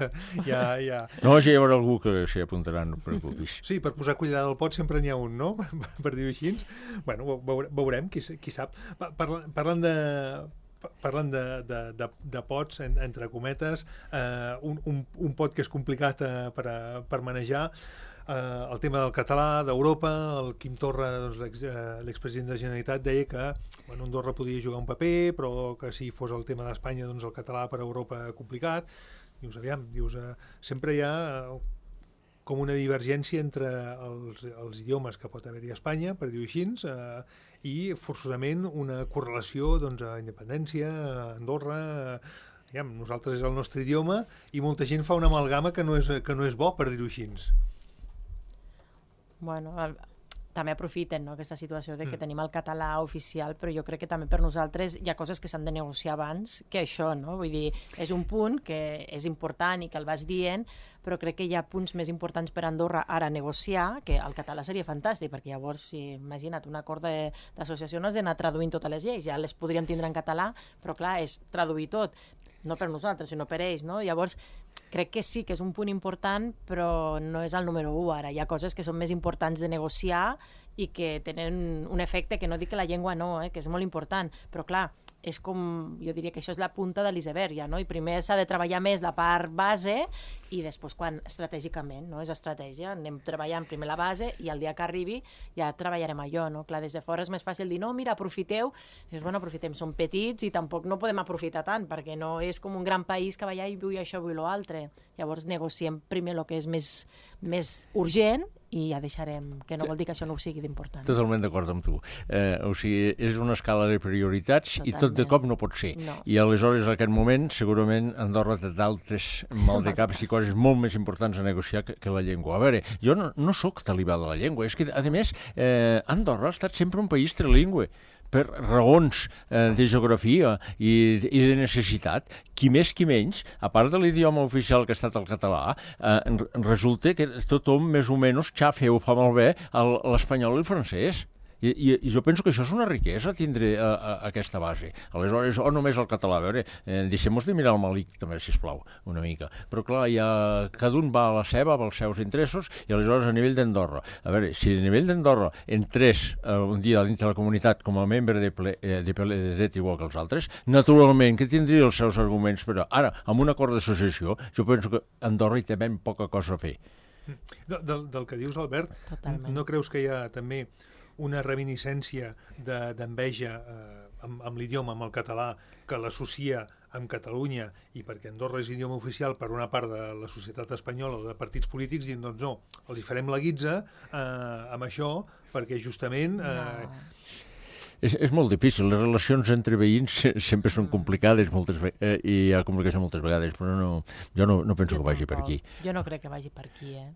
B: ja, ja...
D: No, ja hi haurà algú que s'hi apuntarà, no preocupis.
B: Sí, per posar cuidar del pot sempre n'hi ha un, no?, per dir-ho així. Bueno, veurem, qui, qui sap. Parlant, parlant de... Parlant de, de, de, de pots, en, entre cometes, eh, un, un, un pot que és complicat eh, per, a, per manejar, eh, el tema del català, d'Europa. El Quim Torra, doncs, l'expresident de la Generalitat, deia que bueno, Andorra podia jugar un paper, però que si fos el tema d'Espanya, doncs el català per a Europa complicat. Dius, aviam, dius, eh, sempre hi ha eh, com una divergència entre els, els idiomes que pot haver-hi a Espanya, per dir-ho així, eh, i forçosament una correlació doncs, a independència, a Andorra, a, diguem, nosaltres és el nostre idioma, i molta gent fa una amalgama que no és, que no és bo, per dir-ho així.
C: Bueno, el, també aprofiten, no?, aquesta situació de que mm. tenim el català oficial, però jo crec que també per nosaltres hi ha coses que s'han de negociar abans que això, no? Vull dir, és un punt que és important i que el vas dient, però crec que hi ha punts més importants per Andorra ara negociar, que el català seria fantàstic, perquè llavors, si imagina't, un acord d'associació no has d'anar traduint totes les lleis, ja les podríem tindre en català, però clar, és traduir tot, no per nosaltres, sinó per ells, no? Llavors, crec que sí que és un punt important, però no és el número u ara. Hi ha coses que són més importants de negociar i que tenen un efecte, que no dic que la llengua no, eh, que és molt important, però clar, és com, jo diria que això és la punta de l'iceberg, ja, no? I primer s'ha de treballar més la part base i després quan estratègicament, no? És estratègia, anem treballant primer la base i el dia que arribi ja treballarem allò, no? Clar, des de fora és més fàcil dir, no, mira, aprofiteu, i dius, bueno, aprofitem, som petits i tampoc no podem aprofitar tant, perquè no és com un gran país que va allà i vull això, vull l'altre. Llavors negociem primer el que és més, més urgent i ja deixarem, que no vol dir que això no ho sigui d'important.
D: Totalment d'acord amb tu. Eh, o sigui, és una escala de prioritats Totalment. I tot de cop no pot ser.
C: No.
D: I aleshores, en aquest moment, segurament Andorra té d'altres maldecaps i coses molt més importants a negociar que, que la llengua. A veure, jo no, no sóc talibà de la llengua, és que, a més, eh, Andorra ha estat sempre un país trilingüe, per raons eh, de geografia i, i de necessitat, qui més qui menys, a part de l'idioma oficial que ha estat el català, eh, resulta que tothom més o menys xafa o fa malbé l'espanyol i el francès. I, i, I jo penso que això és una riquesa, tindre a, a, aquesta base. Aleshores, o només el català, a veure, eh, deixem-nos de mirar el malic també, sisplau, una mica. Però clar, ja, cada un va a la seva, va als seus interessos, i aleshores a nivell d'Andorra. A veure, si a nivell d'Andorra entrés eh, un dia dins de la comunitat com a membre de ple, eh, de ple de dret igual que els altres, naturalment que tindria els seus arguments, però ara, amb un acord d'associació, jo penso que Andorra hi té ben poca cosa a fer.
B: De, del, del que dius, Albert,
C: Totalment.
B: No creus que hi ha també una reminiscència d'enveja de, eh, amb, amb l'idioma, amb el català, que l'associa amb Catalunya, i perquè Andorra és idioma oficial per una part de la societat espanyola o de partits polítics, dient, doncs no, els hi farem la guitza eh, amb això, perquè justament... Eh,
C: no.
D: És, és molt difícil, les relacions entre veïns sempre són complicades moltes eh, i hi ha complicació moltes vegades, però no, jo no, no penso
C: jo
D: que vagi
C: tampoc.
D: per aquí.
C: Jo no crec que vagi per aquí, eh?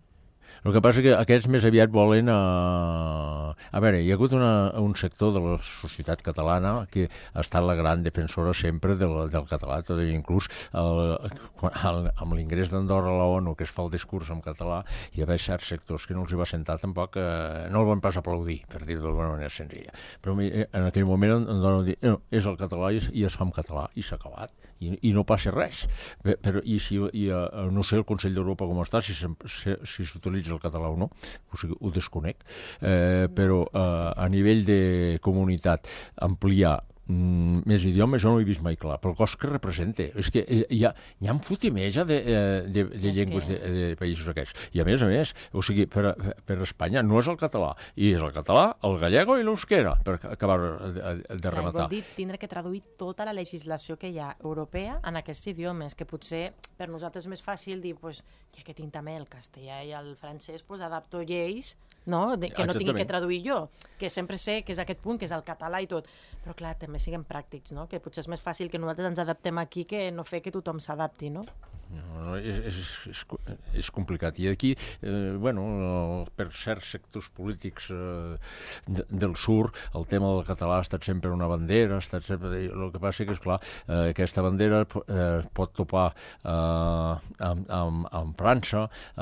D: El que passa és que aquests més aviat volen... A, a veure, hi ha hagut una, un sector de la societat catalana que ha estat la gran defensora sempre del, del català, tot i inclús el, el, amb l'ingrés d'Andorra a la ONU, que es fa el discurs en català, hi havia certs sectors que no els hi va sentar tampoc, eh, no el van pas aplaudir, per dir-ho d'alguna manera senzilla. Però en aquell moment Andorra va dir, no, és el català i es, i es fa en català, i s'ha acabat, i, i no passa res. Però, i si, i, no sé el Consell d'Europa com està, si s'utilitza si, si el català o no, o sigui, ho desconec, eh, però eh, a nivell de comunitat ampliar mm, més idiomes jo no ho he vist mai clar, pel cost que representa. És que hi ha, hi ha un fotimeja de, de, de llengües que... de, de països aquests. I a més a més, o sigui, per, per Espanya no és el català, i és el català, el gallego i l'euskera, per acabar de, de rematar.
C: Vol dir tindre que traduir tota la legislació que hi ha europea en aquests idiomes, que potser per nosaltres és més fàcil dir, pues, ja que tinc també el castellà i el francès, pues, adapto lleis, no? De, que no tingui que traduir jo, que sempre sé que és aquest punt, que és el català i tot, però clar, també siguem pràctics, no? Que potser és més fàcil que nosaltres ens adaptem aquí que no fer que tothom s'adapti, no?
D: No, no, és, és, és, és complicat. I aquí, eh, bueno, per certs sectors polítics eh, de, del sur, el tema del català ha estat sempre una bandera, ha estat sempre... El que passa que, esclar, eh, aquesta bandera eh, pot topar eh, amb, amb, amb França, eh,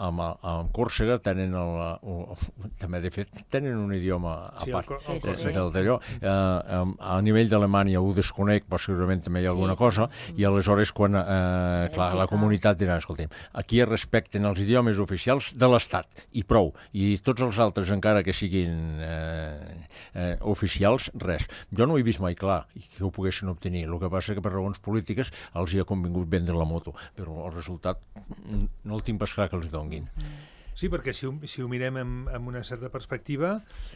D: amb, amb Còrsega, tenen el, el, també, de fet, tenen un idioma a
B: sí,
D: part
C: sí, sí.
D: del d'allò. Eh, a nivell d'Alemanya ho desconec, però segurament també hi ha alguna sí. cosa, i aleshores quan, eh, clar, la comunitat dirà, escolta'm, aquí es respecten els idiomes oficials de l'Estat, i prou, i tots els altres, encara que siguin eh, eh, oficials, res. Jo no ho he vist mai clar, que ho poguessin obtenir. El que passa que per raons polítiques els hi ha convingut vendre la moto, però el resultat no el tinc pas clar que els donguin.
B: Sí, perquè si ho, si ho mirem amb, amb una certa perspectiva,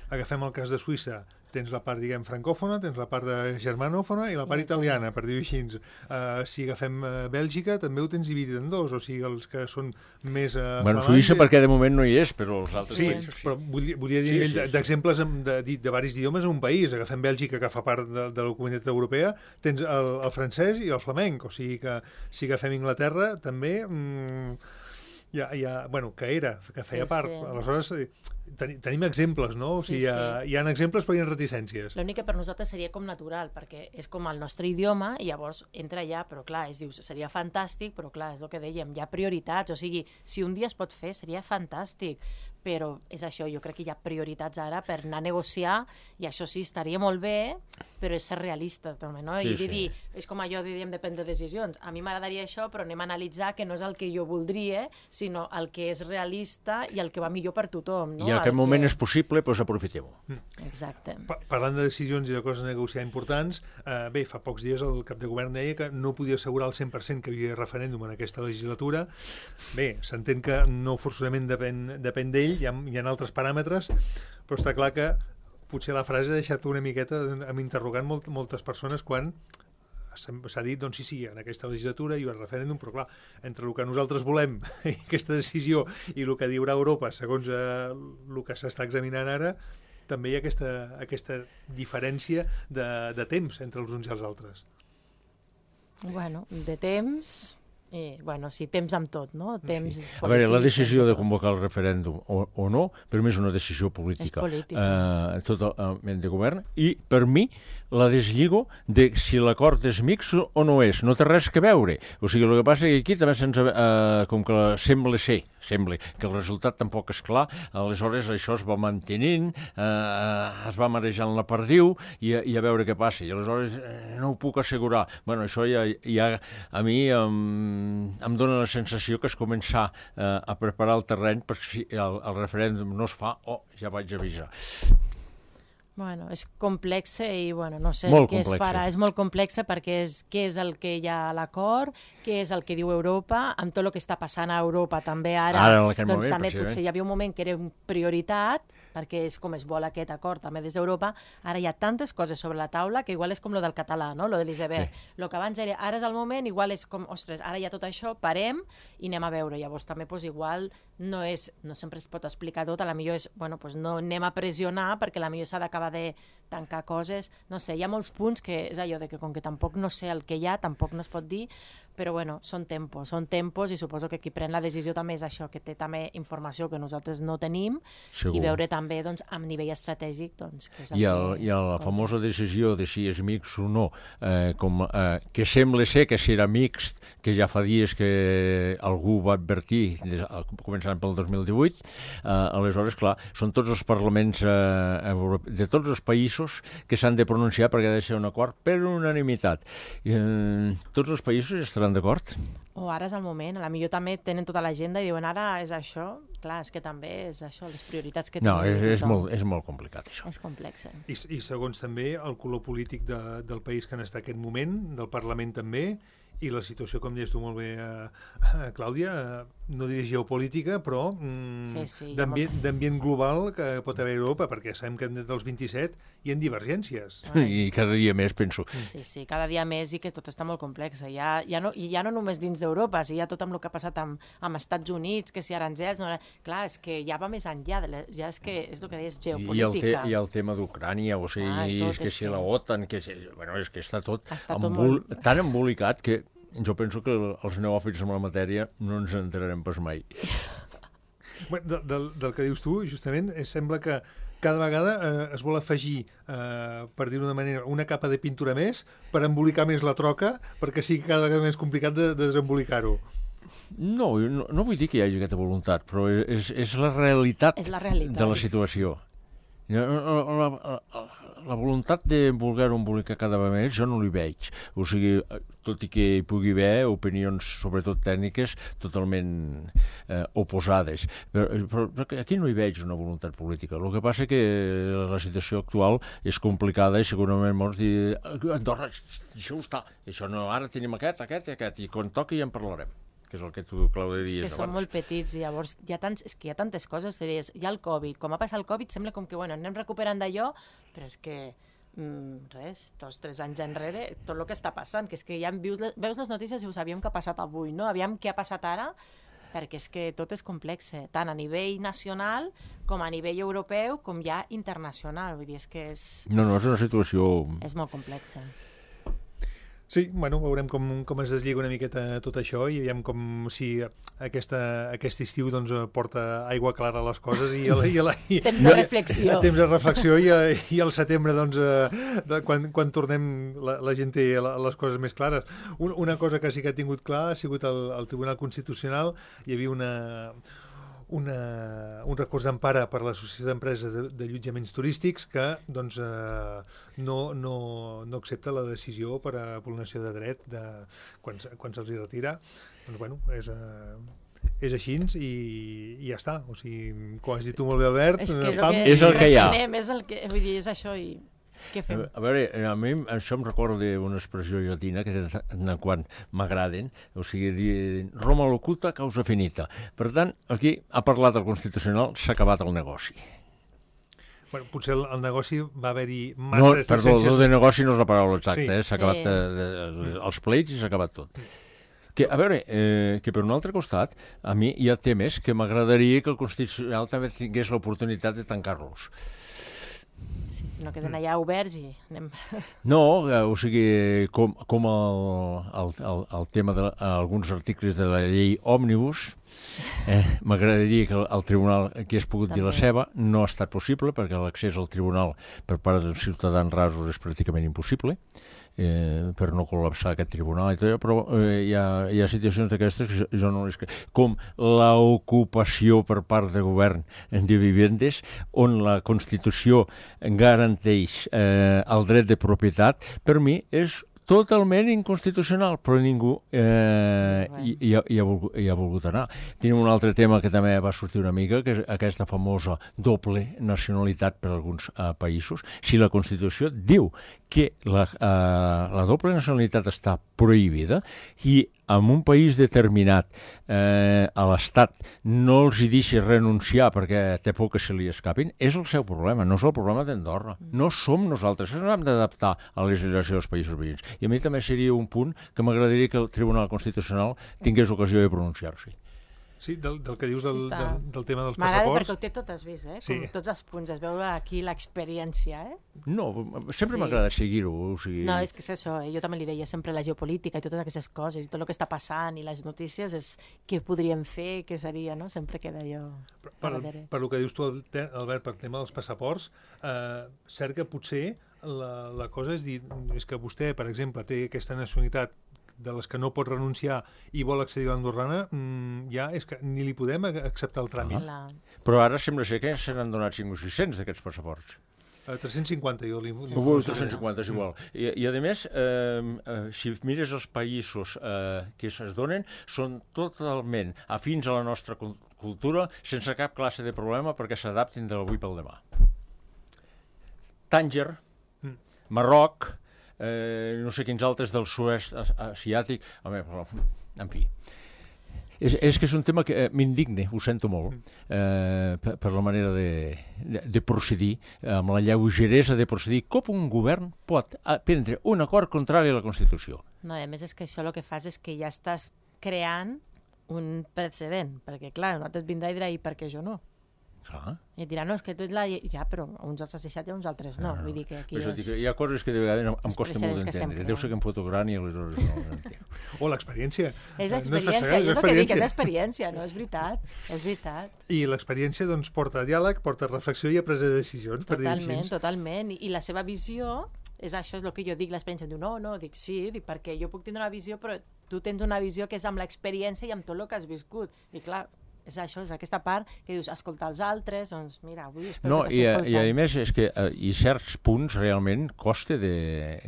B: agafem el cas de Suïssa, tens la part, diguem, francòfona, tens la part de germanòfona i la part italiana, per dir-ho així. Uh, si agafem uh, Bèlgica, també ho tens dividit en dos, o sigui, els que són més uh,
D: bueno, Suïssa
B: i...
D: perquè de moment no hi és, però els altres
B: sí,
D: països sí.
B: Però volia, volia dir sí, sí, d'exemples de, de, de, de varis idiomes en un país. Agafem Bèlgica, que fa part de, de la comunitat europea, tens el, el francès i el flamenc, o sigui que si agafem Inglaterra, també... Mm, Ja, ja, bueno, que era, que feia
C: Sí,
B: part.
C: sí.
B: Aleshores, eh, ten, tenim exemples, no? O
C: Sí,
B: sigui, hi ha,
C: sí.
B: hi ha exemples però hi ha reticències.
C: L'únic que per nosaltres seria com natural, perquè és com el nostre idioma i llavors entra allà, però clar, es diu, seria fantàstic, però clar, és el que dèiem, hi ha prioritats, o sigui, si un dia es pot fer seria fantàstic, però és això, jo crec que hi ha prioritats ara per anar a negociar i això sí, estaria molt bé, però és ser realista també, no?
D: Sí,
C: I
D: sí.
C: dir, és com allò de diem de prendre decisions. A mi m'agradaria això, però anem a analitzar que no és el que jo voldria, sinó el que és realista i el que va millor per tothom, no?
D: I en aquest
C: El
D: moment
C: que...
D: és possible, doncs aprofitem-ho.
C: Exacte.
B: Pa Parlant de decisions i de coses a negociar importants, eh, bé, fa pocs dies el cap de govern deia que no podia assegurar al cent per cent que hi havia referèndum en aquesta legislatura. Bé, s'entén que no forçosament depèn, depèn d'ell, hi ha, hi ha altres paràmetres, però està clar que potser la frase ha deixat una miqueta amb interrogant molt, moltes persones quan s'ha dit, doncs sí, sí, en aquesta legislatura hi ha un referèndum, però clar, entre el que nosaltres volem i aquesta decisió i el que diurà Europa, segons eh, el que s'està examinant ara, també hi ha aquesta, aquesta diferència de, de temps entre els uns i els altres.
C: Bueno, de temps... I, bueno, sí, temps amb tot, no? Temps
D: Sí. A veure, la
C: polític,
D: decisió
C: temps
D: de
C: tot.
D: convocar el referèndum o, o no, per mi és una decisió política.
C: És política.
D: Eh, totalment de govern. I, per mi, la deslligo de si l'acord és mixt o no és. No té res que veure. O sigui, el que passa és que aquí també se'ns... Eh, com que sembla ser, sembla que el resultat tampoc és clar, aleshores això es va mantenint, eh, es va marejant la perdiu i, i a veure què passa. I aleshores eh, no ho puc assegurar. Bueno, això ja, ja a mi... Eh, em dóna la sensació que es començar eh, a preparar el terreny per si el, el referèndum no es fa o oh, ja vaig avisar.
C: Bueno, és complexe i, bueno, no sé
D: Molt
C: què es
D: complexe.
C: farà. És molt complexe perquè és què és el que hi ha a l'acord, què és el que diu Europa, amb tot el que està passant a Europa també ara,
D: Ara, en aquest
C: doncs
D: moment,
C: també
D: precisament.
C: potser hi havia un moment que era prioritat, perquè és com es vol aquest acord també des d'Europa. Ara hi ha tantes coses sobre la taula que igual és com lo del català, no? Lo de l'Iceberg.
D: Sí.
C: Lo que abans era, ara és el moment, igual és com, ostres, ara hi ha tot això, parem i anem a veure. Llavors també pues, igual no és, no sempre es pot explicar tot, a la millor és, bueno, pues no anem a pressionar perquè a la millor s'ha d'acabar de tancar coses, no sé, hi ha molts punts que és allò de que com que tampoc no sé el que hi ha, tampoc no es pot dir, però bueno, són tempos, són tempos i suposo que qui pren la decisió també és això, que té també informació que nosaltres no tenim.
D: Segur.
C: I veure també doncs, amb nivell estratègic doncs, què és el
D: I, el,
C: que
D: I la
C: compta.
D: famosa decisió de si és mixt o no, eh, com, eh, que sembla ser que serà mixt, que ja fa dies que algú va advertir, des, començant pel dos mil divuit, eh, aleshores, clar, són tots els parlaments eh, europe... de tots els països que s'han de pronunciar perquè ha de ser un acord per unanimitat. Eh, tots els països estaran d'acord?
C: O ara és el moment, a la millor també tenen tota l'agenda i diuen ara és això, clar, és que també és això, les prioritats que
D: No,
C: tenim.
D: és, és,
C: tothom.
D: molt, és molt complicat, això.
C: És complex.
B: I, i segons també el color polític de, del país que en està aquest moment, del Parlament també, i la situació, com deies tu molt bé, eh, eh, Clàudia, eh, no diré geopolítica, però mm,
C: Sí, sí, hi ha
B: d'ambient
C: molt-
B: d'ambient global que pot haver a Europa, perquè sabem que dels vint-i-set hi ha divergències.
C: Ai.
D: I cada dia més penso.
C: Sí, sí, cada dia més i que tot està molt complex. Ja, ja no, I ja no només dins d'Europa, si ja tot amb el que ha passat amb, amb Estats Units, que si aranzels... No, clar, és que ja va més enllà, de la, ja és que és el que deies,
D: I el, te,
C: geopolítica.
D: I el tema d'Ucrània, o sigui,
C: Ai, tot
D: és que
C: és
D: si
C: que-
D: la OTAN, que si, bueno, és que està tot,
C: Està tot
D: embol,
C: molt-
D: tan embolicat que jo penso que els neòfits en la matèria no ens entrarem pas mai.
B: Bueno, de, del, del que dius tu, justament, eh, sembla que cada vegada eh, es vol afegir, eh, per dir-ho d'una manera, una capa de pintura més per embolicar més la troca, perquè sigui cada vegada més complicat de, de desembolicar-ho.
D: No, no, no vull dir que hi hagi aquesta voluntat, però és, és la realitat,
C: És la realitat.
D: de la situació. La, la, la, la voluntat de voler-ho embolicar cada vegada més jo no l'hi veig. O sigui, tot i que hi pugui haver opinions, sobretot tècniques, totalment eh, oposades. Però, però aquí no hi veig una voluntat política. El que passa que la situació actual és complicada i segurament molts diuen Andorra, deixeu estar, això no, ara tenim aquest, aquest i aquest, i quan toqui ja en parlarem, que és el que tu, Clàudia,
C: És
D: dies
C: que
D: abans.
C: són molt petits i llavors hi ha, tants, és que hi ha tantes coses, deies, hi ha el Covid, com va passar el Covid sembla com que bueno, anem recuperant d'allò, però és que mm, res, dos, tres anys enrere, tot el que està passant, que és que ja veus, veus les notícies i ho sabíem que ha passat avui, no? Aviam què ha passat ara, perquè és que tot és complex, tant a nivell nacional com a nivell europeu com ja internacional, vull dir, és que és,
D: No, no, és una situació...
C: és molt complex.
B: Sí, bueno, veurem com, com es deslliga una miqueta tot això i veiem com si aquesta, aquest estiu doncs, porta aigua clara a les coses i, i, i, i
C: temps de reflexió.
B: Temps de reflexió i, i al setembre, doncs, de, quan, quan tornem, la, la gent té les coses més clares. Un, una cosa que sí que ha tingut clar ha sigut el, el Tribunal Constitucional. Hi havia una... Una, un recurs d'empara per l'Associació d'Empreses de, de Allotjaments Turístics que doncs, eh, no, no, no accepta la decisió per a vulneració de dret de, quan, quan se'ls hi retira. Doncs, bueno, és... Eh, és així i, i ja està. O sigui, com has dit tu molt bé, Albert...
C: És, que és,
D: pam,
C: el que,
D: és el que hi ha.
C: És el que, vull dir, és això i... Què fem?
D: A veure, a mi això em recorda d'una expressió llatina que de quan m'agraden, o sigui, dir Roma locuta, causa finita. Per tant, aquí ha parlat el Constitucional, s'ha acabat el negoci.
B: Bueno, potser el, el negoci va haver-hi massa...
D: No, perdó, el de negoci no és la paraula exacta,
B: sí.
D: eh? S'ha acabat
C: Sí.
D: eh, els pleits i s'ha acabat tot. Que, a veure, eh, que per un altre costat, a mi hi ha temes que m'agradaria que el Constitucional també tingués l'oportunitat de tancar-los.
C: Sí, si no queden allà oberts i anem...
D: No, eh, o sigui, com, com el, el, el, el tema d'alguns articles de la llei òmnibus, eh, m'agradaria que el, el tribunal hagués pogut dir la seva, no ha estat possible perquè l'accés al tribunal per part dels ciutadans rasos és pràcticament impossible, eh, per no col·lapsar aquest tribunal i tot, però eh, hi, ha, hi ha situacions d'aquestes que jo, jo no les crec. Com l'ocupació per part de govern de vivendes, on la Constitució garanteix eh, el dret de propietat, per mi és totalment inconstitucional, però ningú eh, hi, hi, ha, hi, ha volgut, hi ha volgut anar. Tenim un altre tema que també va sortir una mica, que és aquesta famosa doble nacionalitat per a alguns eh, països. Si la Constitució diu que la, eh, la doble nacionalitat està prohibida i en un país determinat eh, a l'Estat no els hi deixi renunciar perquè té por que se li escapin, és el seu problema, no és el problema d'Andorra. No som nosaltres, ens hem d'adaptar a la legislació dels països veïns. I a mi també seria un punt que m'agradaria que el Tribunal Constitucional tingués ocasió de pronunciar-s'hi.
B: Sí, del, del que dius del,
C: Sí, està.
B: del, del tema dels
C: M'agrada
B: passaports.
C: perquè ho té tot has vist, eh?
B: Sí.
C: Com tots els punts, es veu aquí l'experiència, eh?
D: No, sempre
C: Sí.
D: m'agrada seguir-ho. O sigui...
C: No, és que és això, eh? Jo també li deia sempre la geopolítica i totes aquestes coses, i tot el que està passant i les notícies és què podríem fer, què seria, no? Sempre queda allò
B: Per,
C: a
B: per,
C: darrere.
B: per el que dius tu, Albert, per tema dels passaports, eh, cert que potser la, la cosa és dir, és que vostè, per exemple, té aquesta nacionalitat de les que no pot renunciar i vol accedir a l'andorrana, mmm, ja és que ni li podem acceptar el tràmit.
C: La...
D: Però ara sembla ser que se n'han donat cinc o sis-cents d'aquests passaports.
B: Uh, tres-cents cinquanta, jo li... li
D: Ui, tres-cents cinquanta és igual. I, i a més, eh, eh, si mires els països eh, que se'ns donen, són totalment afins a la nostra cultura, sense cap classe de problema, perquè s'adaptin de l'avui pel demà. Tànger, Marroc, eh, no sé quins altres del sud-est asiàtic, home, però, en fi. És, és que és un tema que eh, m'indigne, ho sento molt, eh, per, per la manera de, de, de procedir, amb la lleugeresa de procedir, com un govern pot prendre un acord contrari a la Constitució.
C: No, i a més és que això el que fas és que ja estàs creant un precedent, perquè clar, un altre et vindrà i dirà, i per què jo no?
D: Clar.
C: I et dirà, no, és que tu ets la... Ja, però uns els has deixat i uns altres no.
D: Ah,
C: Vull dir que aquí
D: és...
C: és...
D: Hi ha coses que de vegades em, em costa molt
C: precedents que estem
D: d'entendre.
C: creant.
D: Deu ser que em foto gran i aleshores no ho entenc.
B: O l'experiència.
C: És
B: No
C: l'experiència,
B: fassegar,
C: jo és el que dic, és l'experiència, no? És veritat, és veritat.
B: I l'experiència doncs, porta a diàleg, porta a reflexió i a presa de decisions, per dir-ho
C: Totalment,
B: així.
C: totalment. I, I la seva visió, és això és el que jo dic, l'experiència. Em diu, no, no, dic sí, dic, perquè jo puc tindre una visió, però tu tens una visió que és amb l'experiència i amb tot el que has viscut. I clar, és això, és aquesta part que dius, escoltar els altres, doncs mira, avui espero
D: No,
C: que
D: i,
C: t'hagi
D: i a
C: escoltat.
D: més és que eh, i certs punts realment costa de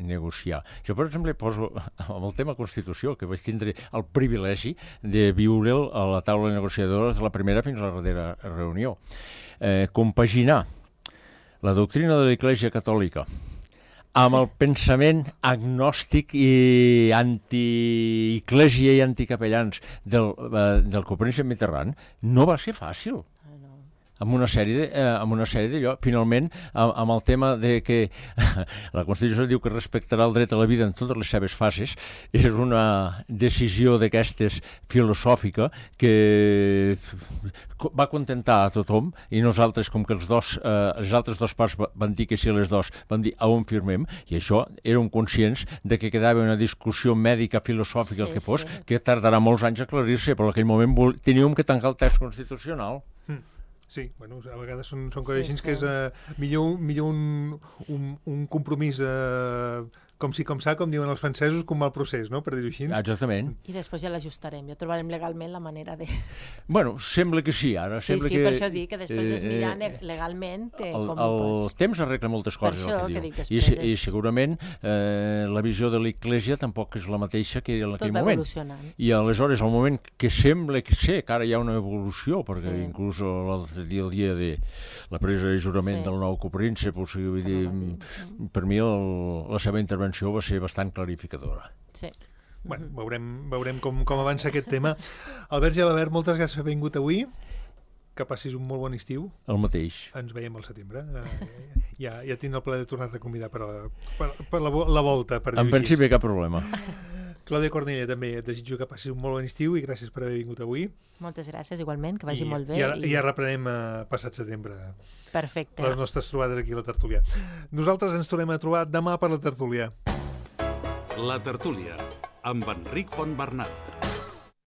D: negociar. Jo, per exemple, poso amb el tema Constitució, que vaig tindre el privilegi de viure'l a la taula negociadora de la primera fins a la darrera reunió. Eh, compaginar la doctrina de l'Església Catòlica amb el pensament agnòstic i anti-Eclésia i anticapellans del, eh, del Copernic Mitterrand no va ser fàcil.
C: Ah, no.
D: amb una sèrie de, eh, amb una sèrie d'allò. Finalment, amb, amb el tema de que la Constitució diu que respectarà el dret a la vida en totes les seves fases, és una decisió d'aquestes filosòfica que va contentar a tothom, i nosaltres, com que els dos, eh, les altres dues parts van dir que sí, les dos van dir a on firmem, i això érem conscients de que quedava una discussió mèdica, filosòfica, sí, el que fos, sí, que tardarà molts anys a aclarir-se, però en aquell moment vol... teníem que tancar el text constitucional.
B: Mm. Sí, bueno, a vegades són, són coses així, sí, sí, que és uh, millor, millor un, un, un compromís uh, com si com s'ha, com diuen els francesos, com el procés, no?, per dir-ho així.
D: Exactament.
C: I després ja l'ajustarem, ja trobarem legalment la manera de...
D: Bueno, sembla que sí, ara.
C: Sí,
D: sembla
C: sí,
D: que,
C: per això dic que després
D: eh,
C: és mirar legalment que
D: el,
C: com
D: el
C: ho pots.
D: El temps arregla moltes coses,
C: per això,
D: el que,
C: que
D: diu.
C: dic,
D: I,
C: és...
D: I segurament eh, la visió de l'Església tampoc és la mateixa que en aquell
C: moment. Tot va
D: moment.
C: evolucionant.
D: I aleshores, al moment que sembla que sé que ara hi ha una evolució, perquè
C: sí,
D: inclús el dia, el dia de la presa de jurament sí, del nou copríncep, o sigui, vull dir, mm. per mi el, la seva intervenció va ser bastant clarificadora.
C: Sí.
B: Bueno, veurem, veurem com, com avança aquest tema. Albert Gelabert, moltes gràcies per haver vingut avui. Que passis un molt bon estiu.
D: El mateix.
B: Ens veiem al setembre. Uh, ja, ja tinc el plaer de tornar-te a convidar per, a, per, per la, la volta. Per
D: en principi cap problema.
B: Clàudia Cornellà, també et desitjo que passis un molt bon estiu i gràcies per haver vingut avui.
C: Moltes gràcies, igualment, que vagi
B: I,
C: molt bé.
B: I, ara, i... ja reprenem uh, passat setembre.
C: Perfecte.
B: Les nostres trobades aquí a la tertúlia. Nosaltres ens tornem a trobar demà per la tertúlia.
A: La tertúlia, amb Enric Fontbernat.